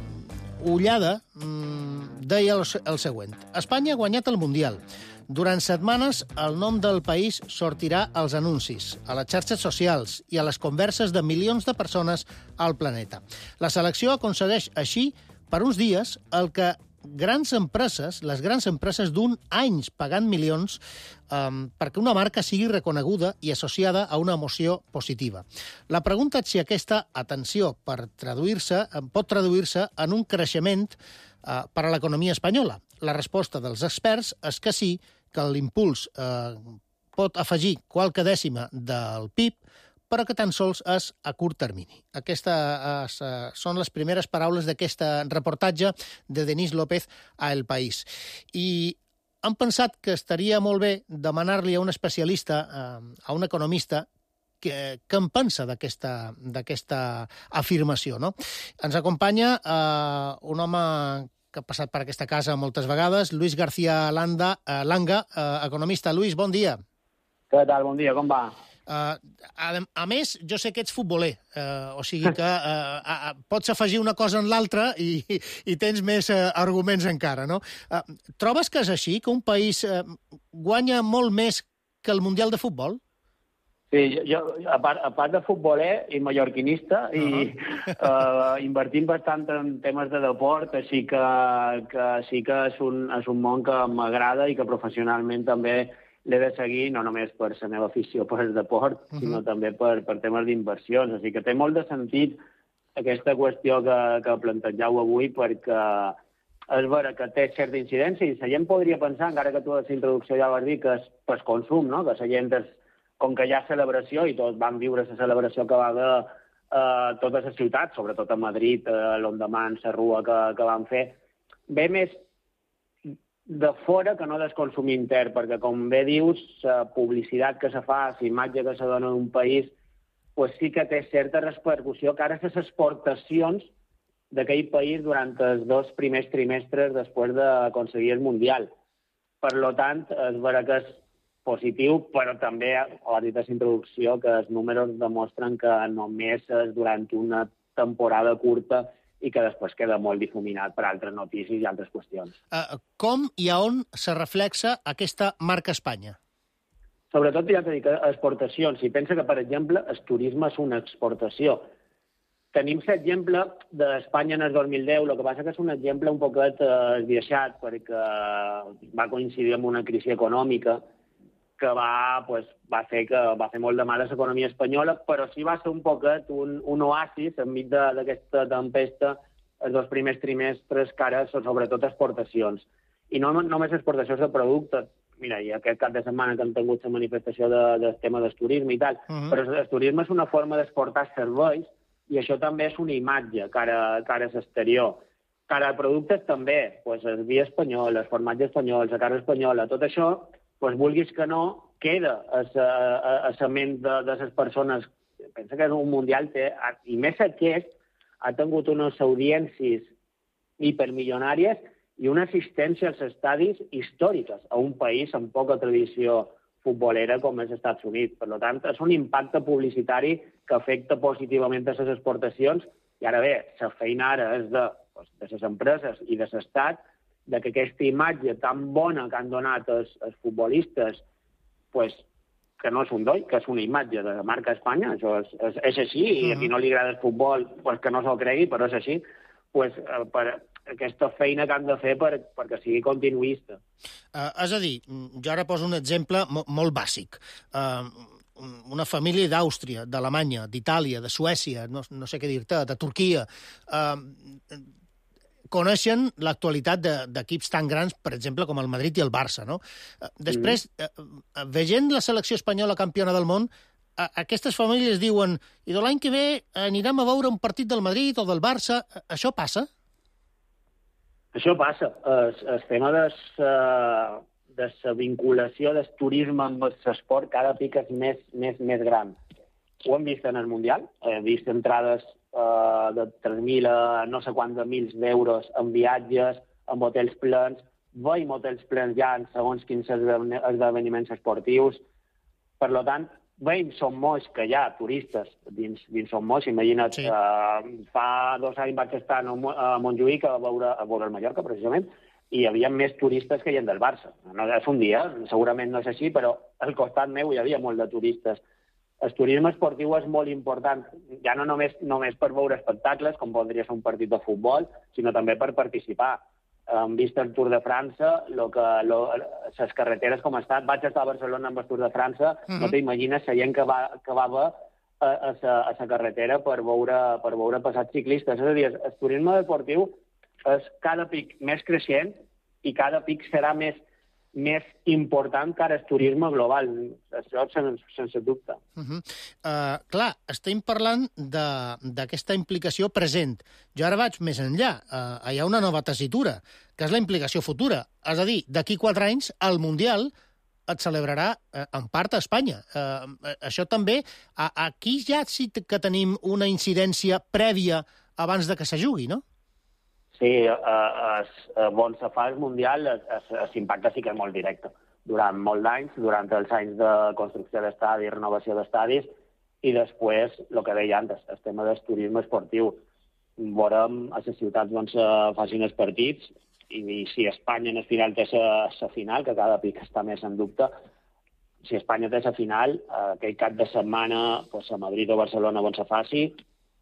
ullada mmm, deia el, el següent. Espanya ha guanyat el mundial. Durant setmanes, el nom del país sortirà als anuncis, a les xarxes socials i a les converses de milions de persones al planeta. La selecció aconsegueix així, per uns dies, el que grans empreses, les grans empreses d'un anys pagant milions um, perquè una marca sigui reconeguda i associada a una emoció positiva. La pregunta és si aquesta atenció per traduir-se pot traduir-se en un creixement uh, per a l'economia espanyola. La resposta dels experts és que sí, que l'impuls eh, pot afegir qualque dècima del P I B, però que tan sols és a curt termini. Aquestes eh, són les primeres paraules d'aquest reportatge de Denis López a El País. I han pensat que estaria molt bé demanar-li a un especialista, eh, a un economista, que, que en pensa d'aquesta afirmació, no? Ens acompanya eh, un home que ha passat per aquesta casa moltes vegades, Luis García Landa, eh, Langa, eh, economista. Luis, bon dia. Què tal? Bon dia, com va? Uh, a, a més, jo sé que ets futboler, uh, o sigui que uh, uh, pots afegir una cosa en l'altra i, i tens més uh, arguments encara, no? Uh, trobes que és així, que un país uh, guanya molt més que el Mundial de Futbol? Sí, jo, a part, a part de futboler i mallorquinista, uh -huh. i uh, invertim bastant en temes de deport, així que, que sí que és un, és un món que m'agrada i que professionalment també l'he de seguir, no només per la meva afició per el deport, uh -huh. sinó també per, per temes d'inversions. Així que té molt de sentit aquesta qüestió que, que plantegeu avui, perquè és vera que té certa incidència i la gent podria pensar, encara que tu a la introducció ja vas dir, que és per consum, no? Que la gent és, com que hi ha celebració, i tots van viure la celebració que va haver a eh, totes les ciutats, sobretot a Madrid, a l'endemà en la rua que, que van fer, ve més de fora que no del consum intern, perquè, com bé dius, la publicitat que se fa, la imatge que se dona d'un país, pues sí que té certa repercussió cara a les exportacions d'aquell país durant els dos primers trimestres després d'aconseguir el Mundial. Per lo tant, és vera que és positiu, però també, ho ha dit a la introducció, que els números demostren que només és durant una temporada curta i que després queda molt difuminat per altres notícies i altres qüestions. Uh, com i a on se reflexa aquesta marca Espanya? Sobretot, ja t'he dit, exportacions. Si pensa que, per exemple, el turisme és una exportació. Tenim l'exemple d'Espanya en el dos mil deu, el que passa que és un exemple un poquet eh, esbiaixat, perquè va coincidir amb una crisi econòmica que va, pues, va fer que va fer molt de mal a l'economia espanyola, però sí va ser un poquet un, un oasis enmig d'aquesta tempesta els dos primers trimestres, que ara són sobretot exportacions. I no només exportacions de productes. Mira, i aquest cap de setmana que hem tingut la manifestació de, del tema del turisme i tal, uh -huh. però el turisme és una forma d'exportar serveis i això també és una imatge cara, cara a l'exterior. Cara a productes també, pues, el vi espanyol, el formatge espanyol, la carn espanyola, tot això, pues, vulguis que no, queda a la ment de, de les persones. Pensa que un mundial té, i més aquest, ha tingut unes audiències hipermilionàries i una assistència als estadis històriques a un país amb poca tradició futbolera com és els Estats Units. Per tant, és un impacte publicitari que afecta positivament a les exportacions i ara bé, la feina ara és de, doncs, de les empreses i de l'Estat de que aquesta imatge tan bona que han donat els, els futbolistes, pues, que no és un doll, que és una imatge de marca Espanya, això és, és, és així, i a qui no li agrada el futbol, pues, que no se'l cregui, però és així, pues, per aquesta feina que han de fer per, perquè sigui continuista. Uh, és a dir, jo ara poso un exemple mo molt bàsic. Uh, una família d'Àustria, d'Alemanya, d'Itàlia, de Suècia, no, no sé què dir-te, de Turquia, uh, coneixen l'actualitat d'equips tan grans, per exemple, com el Madrid i el Barça, no? Després, mm. veient la selecció espanyola campiona del món, aquestes famílies diuen i de l'any que ve anirem a veure un partit del Madrid o del Barça. Això passa? Això passa. El, el tema de la de la vinculació del turisme amb l'esport cada pic és més, més, més gran. Ho hem vist en el Mundial, hem vist entrades Uh, de tres mil a no sé quants mils d'euros en viatges, en hotels plens, veiem hotels plens ja en segons quins esdeveniments esportius. Per tant, veiem Som Moix, que hi ha turistes dins, dins Som Moix. Imagina't, sí. uh, fa dos anys vaig estar a Montjuïc a veure, a veure el Mallorca, precisament, i hi havia més turistes que hi ha del Barça. No és un dia, segurament no és així, però al costat meu hi havia molt de turistes. El turisme esportiu és molt important, ja no només, només per veure espectacles, com podria ser un partit de futbol, sinó també per participar. Hem vist el Tour de França, lo que, lo, les carreteres com estan. Vaig estar a Barcelona amb el Tour de França, uh-huh. No t'imagines la gent que va, que va a, a, a la carretera per veure, per veure passats ciclistes. És a dir, el turisme esportiu és cada pic més creixent i cada pic serà més més important que ara el turisme global. Això sense, sense dubte. Uh-huh. uh, clar, estem parlant d'aquesta implicació present. Jo ara vaig més enllà. Uh, hi ha una nova tessitura, que és la implicació futura. És a dir, d'aquí quatre anys, el Mundial et celebrarà uh, en part a Espanya. Uh, això també, uh, aquí ja sí que tenim una incidència prèvia abans de que se jugui, no? Sí, eh, eh, on se fa el Mundial, l'impacte sí que és molt directe. Durant molts anys, durant els anys de construcció d'estadis, renovació d'estadis, i després, el que deia antes, el tema del turisme esportiu. Veurem a les ciutats on se facin els partits, i, i si Espanya en el final té la final, que cada pic està més en dubte, si Espanya té la final, aquell cap de setmana, pues, a Madrid o Barcelona on se faci,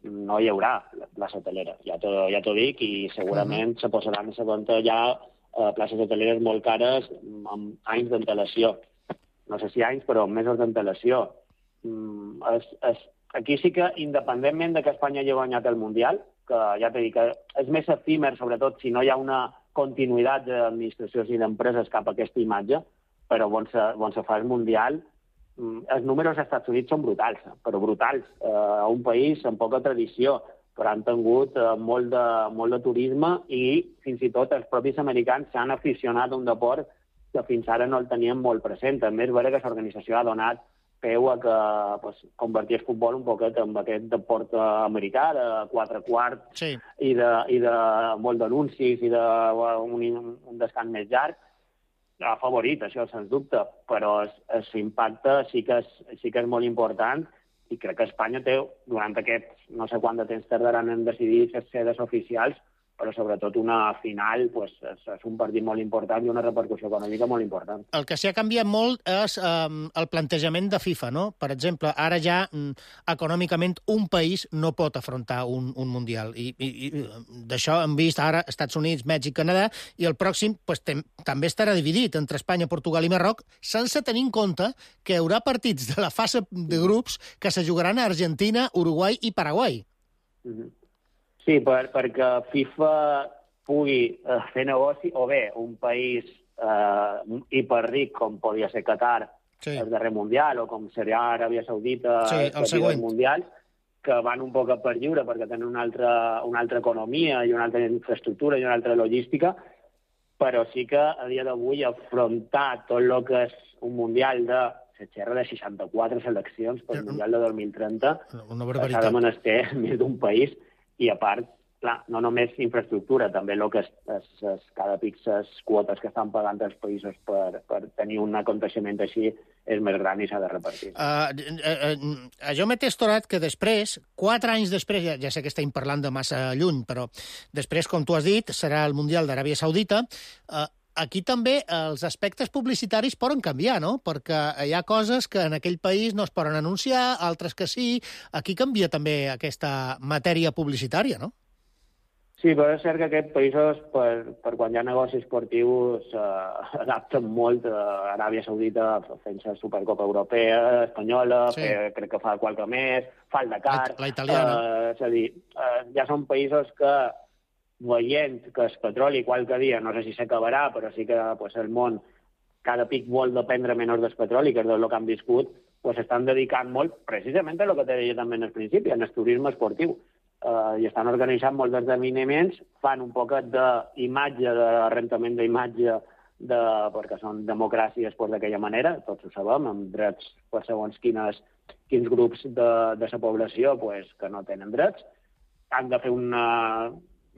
no hi haurà plaça hotelera, ja t'ho ja dic, i segurament uh-huh. se posaran a la venda ja eh, places hoteleres molt cares amb anys d'antelació. No sé si anys, però amb mesos d'antelació. Mm, es, es, aquí sí que, independentment de que Espanya hagi guanyat el Mundial, que ja t'he dit que és més efímer, sobretot si no hi ha una continuïtat d'administracions i d'empreses cap a aquesta imatge, però on se, on se fa el Mundial, els números als Estats Units són brutals, però brutals. Eh, a un país amb poca tradició, però han tingut eh, molt, de, molt de turisme i fins i tot els propis americans s'han aficionat a un deport que fins ara no el tenien molt present. També és vera que l'organització ha donat peu a que pues, convertir el futbol un poquet en aquest deport americà de quatre quarts sí. i, de, i de molt d'anuncis i d'un un descans més llarg. Ha favorit, això, sens dubte, però l'impacte sí, que és, sí que és molt important i crec que Espanya té, durant aquests no sé quant de temps tardaran en decidir les sedes oficials, però sobretot una final pues, és, és un partit molt important i una repercussió econòmica molt important. El que s'ha canviat molt és eh, el plantejament de FIFA, no? Per exemple, ara ja mm, econòmicament un país no pot afrontar un, un Mundial. I, i, i d'això hem vist ara Estats Units, Mèxic, Canadà, i el pròxim pues, tem, també estarà dividit entre Espanya, Portugal i Marroc, sense tenir en compte que hi haurà partits de la fase de grups que se jugaran a Argentina, Uruguai i Paraguai. Mm-hmm. Sí, per, perquè FIFA pugui eh, fer negoci, o bé un país eh, hiperric com podia ser Qatar, sí. el darrer Mundial, o com seria Aràbia Saudita, sí, el següent Mundial, que van un poc per lliure perquè tenen una altra, una altra economia i una altra infraestructura i una altra logística, però sí que a dia d'avui afrontar tot el que és un Mundial de se xerra de seixanta-quatre seleccions per el Mundial de dos mil trenta, una barbaritat. s'ha de menester més d'un país. I, a part, clar, no només infraestructura, també el que és, és, és cada pic les quotes que estan pagant els països per, per tenir un aconteixement així és més gran i s'ha de repartir. Uh, uh, uh, jo m'he testorat que després, quatre anys després, ja, ja sé que estem parlant de massa lluny, però després, com tu has dit, serà el Mundial d'Aràbia Saudita. Uh, aquí també els aspectes publicitaris poden canviar, no? Perquè hi ha coses que en aquell país no es poden anunciar, altres que sí. Aquí canvia també aquesta matèria publicitària, no? Sí, però és cert que aquests països, per, per quan hi ha negoci esportiu, s'adapten molt a Aràbia Saudita fent la Supercopa Europea, espanyola, sí. fe, crec que fa qualque més, fa el Dakar... La, la italiana. Eh, és a dir, eh, ja són països que, veient que el petroli qualque dia, no sé si s'acabarà, però sí que pues, el món cada pic vol dependre menys del petroli, que és del que han viscut, pues, estan dedicant molt, precisament a el que te deia també en el principi, en el turisme esportiu. Uh, i estan organitzant molts esdeveniments, fan un poquet d'imatge, de rentament d'imatge, de, perquè són democràcies pues, d'aquella manera, tots ho sabem, amb drets per segons quines, quins grups de, de la població pues, que no tenen drets. Han de fer un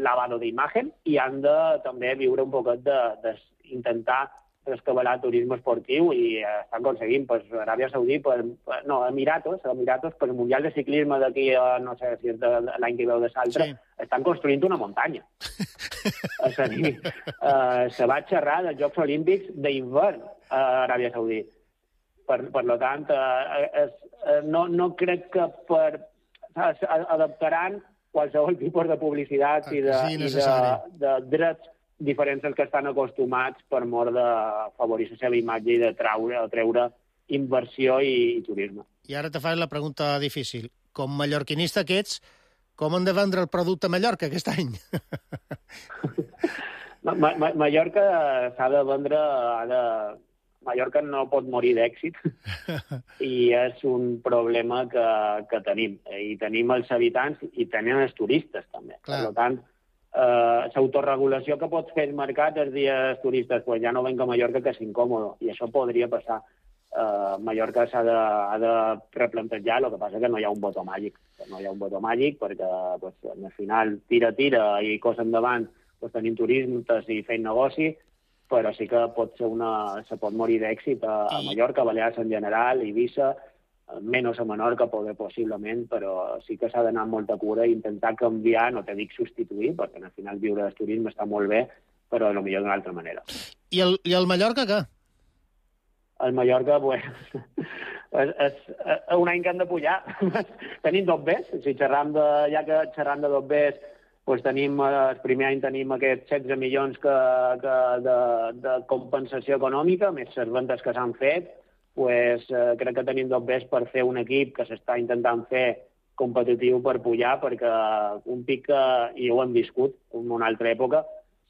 lavado d'imatge i han de també viure un poquet d'intentar rescabalar turisme esportiu i eh, estan aconseguint, pues, Aràbia Saudí, pues, no, Emiratos, Emiratos, pues, el Mundial de Ciclisme d'aquí, no sé si és l'any que veu de l'altre, sí. Estan construint una muntanya. És a dir, eh, se va xerrar dels Jocs Olímpics d'hivern a Aràbia Saudí. Per, per lo tant, eh, es, eh, no, no crec que per... adaptaran qualsevol tipus de publicitat i de, sí, i de, de drets diferents als que estan acostumats per mort de favorir la seva imatge i de treure, de treure inversió i, i turisme. I ara te faig la pregunta difícil. Com mallorquinista que ets, com han de vendre el producte a Mallorca aquest any? Ma Ma Mallorca s'ha de vendre... Ha de... Mallorca no pot morir d'èxit i és un problema que, que tenim. I tenim els habitants i tenim els turistes, també. Clar. Per tant, Uh, l'autorregulació que pots fer el mercat els dies turistes, pues ja no venc a Mallorca que és incòmodo, i això podria passar. Uh, Mallorca s'ha de, ha de replantejar, el que passa que no hi ha un botó màgic. No hi ha un botó màgic perquè pues, al final tira, tira i cosa endavant pues, tenim turistes i fent negoci, però sí que pot ser una, se pot morir d'èxit a, a Mallorca, a Balears en general, Eivissa, menys a Menorca, poder, possiblement, però sí que s'ha d'anar amb molta cura i intentar canviar, no te dic substituir, perquè al final viure del turisme està molt bé, però potser d'una altra manera. I el, i el Mallorca, què? El Mallorca, pues, és, és, és un any que han de pujar. Tenim dos Bs, si xerram de, ja que xerram de dos Bs, pues tenim, el primer any tenim aquests setze milions que, que de, de compensació econòmica, més les ventes que s'han fet, pues, eh, crec que tenim dos Bs per fer un equip que s'està intentant fer competitiu per pujar, perquè un pic que, i ho hem viscut en una altra època,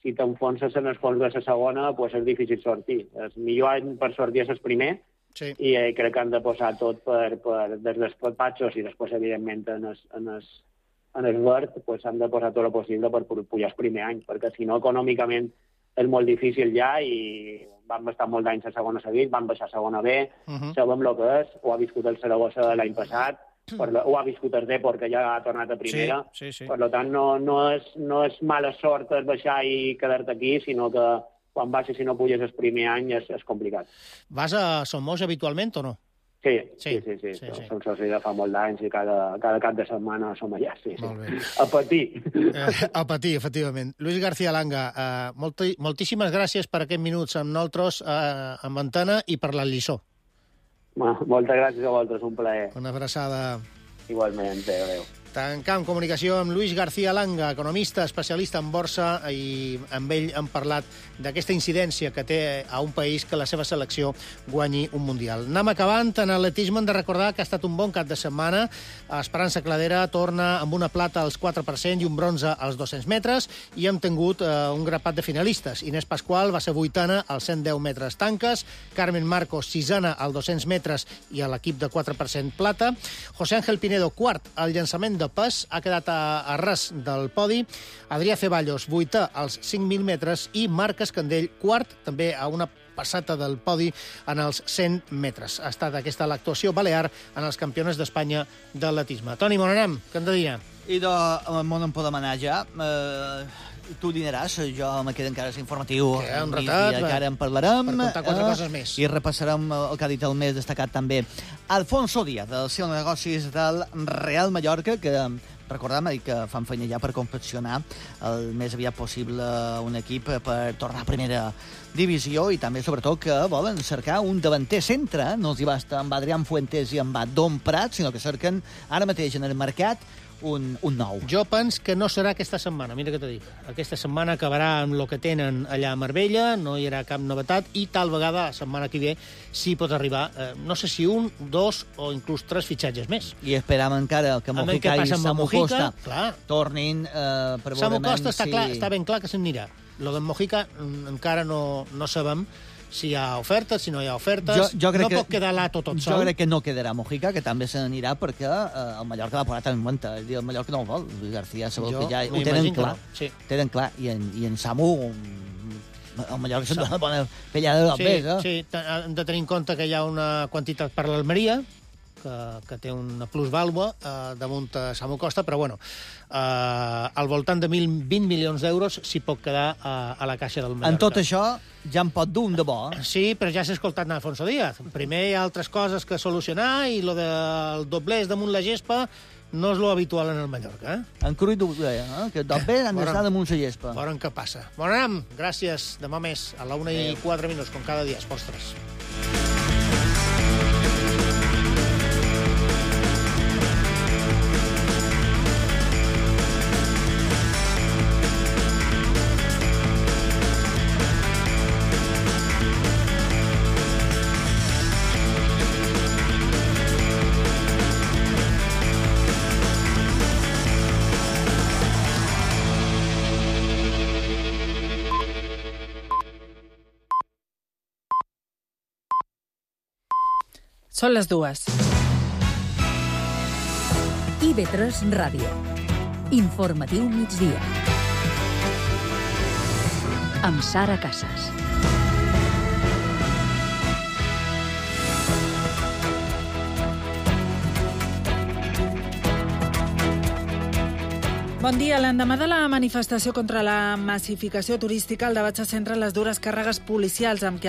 si t'enfonses en els fons de la segona, pues és difícil sortir. El millor any per sortir és el primer, sí. I eh, crec que han de posar tot per, per, des dels patxos i després, evidentment, en el, en el, en el verd, pues han de posar tot el possible per pujar el primer any, perquè si no, econòmicament, és molt difícil ja i vam estar molt d'anys a segona seguit, vam baixar a segona B, uh -huh. sabem el que és, ho ha viscut el Saragossa l'any passat, per lo, ho ha viscut el Depor, que ja ha tornat a primera, sí, sí, sí. Per tant no, no, és, no és mala sort el baixar i quedar-te aquí, sinó que quan baixes i no puges el primer any és, és complicat. Vas a Somos habitualment o no? Sí, sí, sí, sí, sí, sí. Som soci de fa molt d'anys i cada, cada cap de setmana som allà, sí, sí. A patir. Eh, a patir, efectivament. Luis García Langa, eh, molti, moltíssimes gràcies per aquests minuts amb nosaltres, eh, amb Antena, i per la lliçó. Moltes gràcies a vosaltres, un plaer. Una abraçada. Igualment, adéu, adéu. Tancam comunicació amb Luis García Langa, economista, especialista en borsa, i amb ell hem parlat d'aquesta incidència que té a un país que la seva selecció guanyi un Mundial. Anem acabant. En atletisme hem de recordar que ha estat un bon cap de setmana. Esperança Cladera torna amb una plata als quatre per cent i un bronze als dos-cents metres, i hem tingut eh, un grapat de finalistes. Inés Pasqual va ser vuitena als cent deu metres tanques, Carmen Marcos sisena als dos-cents metres i a l'equip de quatre per cent plata, José Ángel Pinedo quart al llançament de pes, ha quedat a, a ras del podi, Adrià Ceballos vuitè als cinc mil metres i Marc Escandell quart, també a una passata del podi en els cent metres. Ha estat aquesta l'actuació balear en els campionats d'Espanya d'atletisme. Toni, on anem? Què hem de dir? I de on en podem anar ja? Eh, tu dinaràs, jo me quedo encara informatiu. Que un ratat, que ara en parlarem. Per contar quatre eh, coses més. I repassarem el que ha dit el més destacat també. Alfonso Díaz, del seu negocis del Real Mallorca, que recordem que fan feina ja per confeccionar el més aviat possible un equip per tornar a primera divisió i també, sobretot, que volen cercar un davanter centre. No els hi basta amb Adrián Fuentes i amb Don Prat, sinó que cerquen ara mateix en el mercat un, un nou. Jo penso que no serà aquesta setmana, mira què t'ho dic. Aquesta setmana acabarà amb el que tenen allà a Marbella, no hi haurà cap novetat, i tal vegada la setmana que ve sí pot arribar, eh, no sé si un, dos o inclús tres fitxatges més. I esperam encara que Mojica i Samu Costa clar. tornin eh, per Samu veure Costa està, si... clar, està ben clar que se'n anirà. Lo d'en Mojica encara no, no sabem si hi ha ofertes, si no hi ha ofertes. Jo, jo crec no que, pot quedar l'Ato tot sol. Jo crec que no quedarà Mojica, que també se n'anirà perquè eh, el Mallorca l'ha posat en compte. El Mallorca no el vol. Luis García segur Jo que ja ho tenen clar. No. Sí. Tenen clar. I en, i en Samu, el Mallorca se'n dona bona pellada de sí, l'Albés. Eh? Sí, hem de tenir en compte que hi ha una quantitat per l'Almeria, que, que té una plusvàlua eh, damunt a Samu Costa, però bueno, eh, al voltant de mil vint milions d'euros s'hi pot quedar a, a la caixa del Mallorca. En tot això ja en pot dur un de bo. Eh? Sí, però ja s'ha escoltat Alfonso Díaz. Primer hi ha altres coses que solucionar i lo del doblers damunt la gespa no és lo habitual en el Mallorca. Eh? En Cruït ho deia, eh? que doblers han d'estar damunt la gespa. Veurem què passa. Bon anem, gràcies. Demà més, a la una i quatre minuts, com cada dia, Esports tres. Són les dues. I ve tres Ràdio. Informatiu migdia. Amb Sara Casas. Bon dia. L'endemà de la manifestació contra la massificació turística, el debat se centra en les dures càrregues policials amb què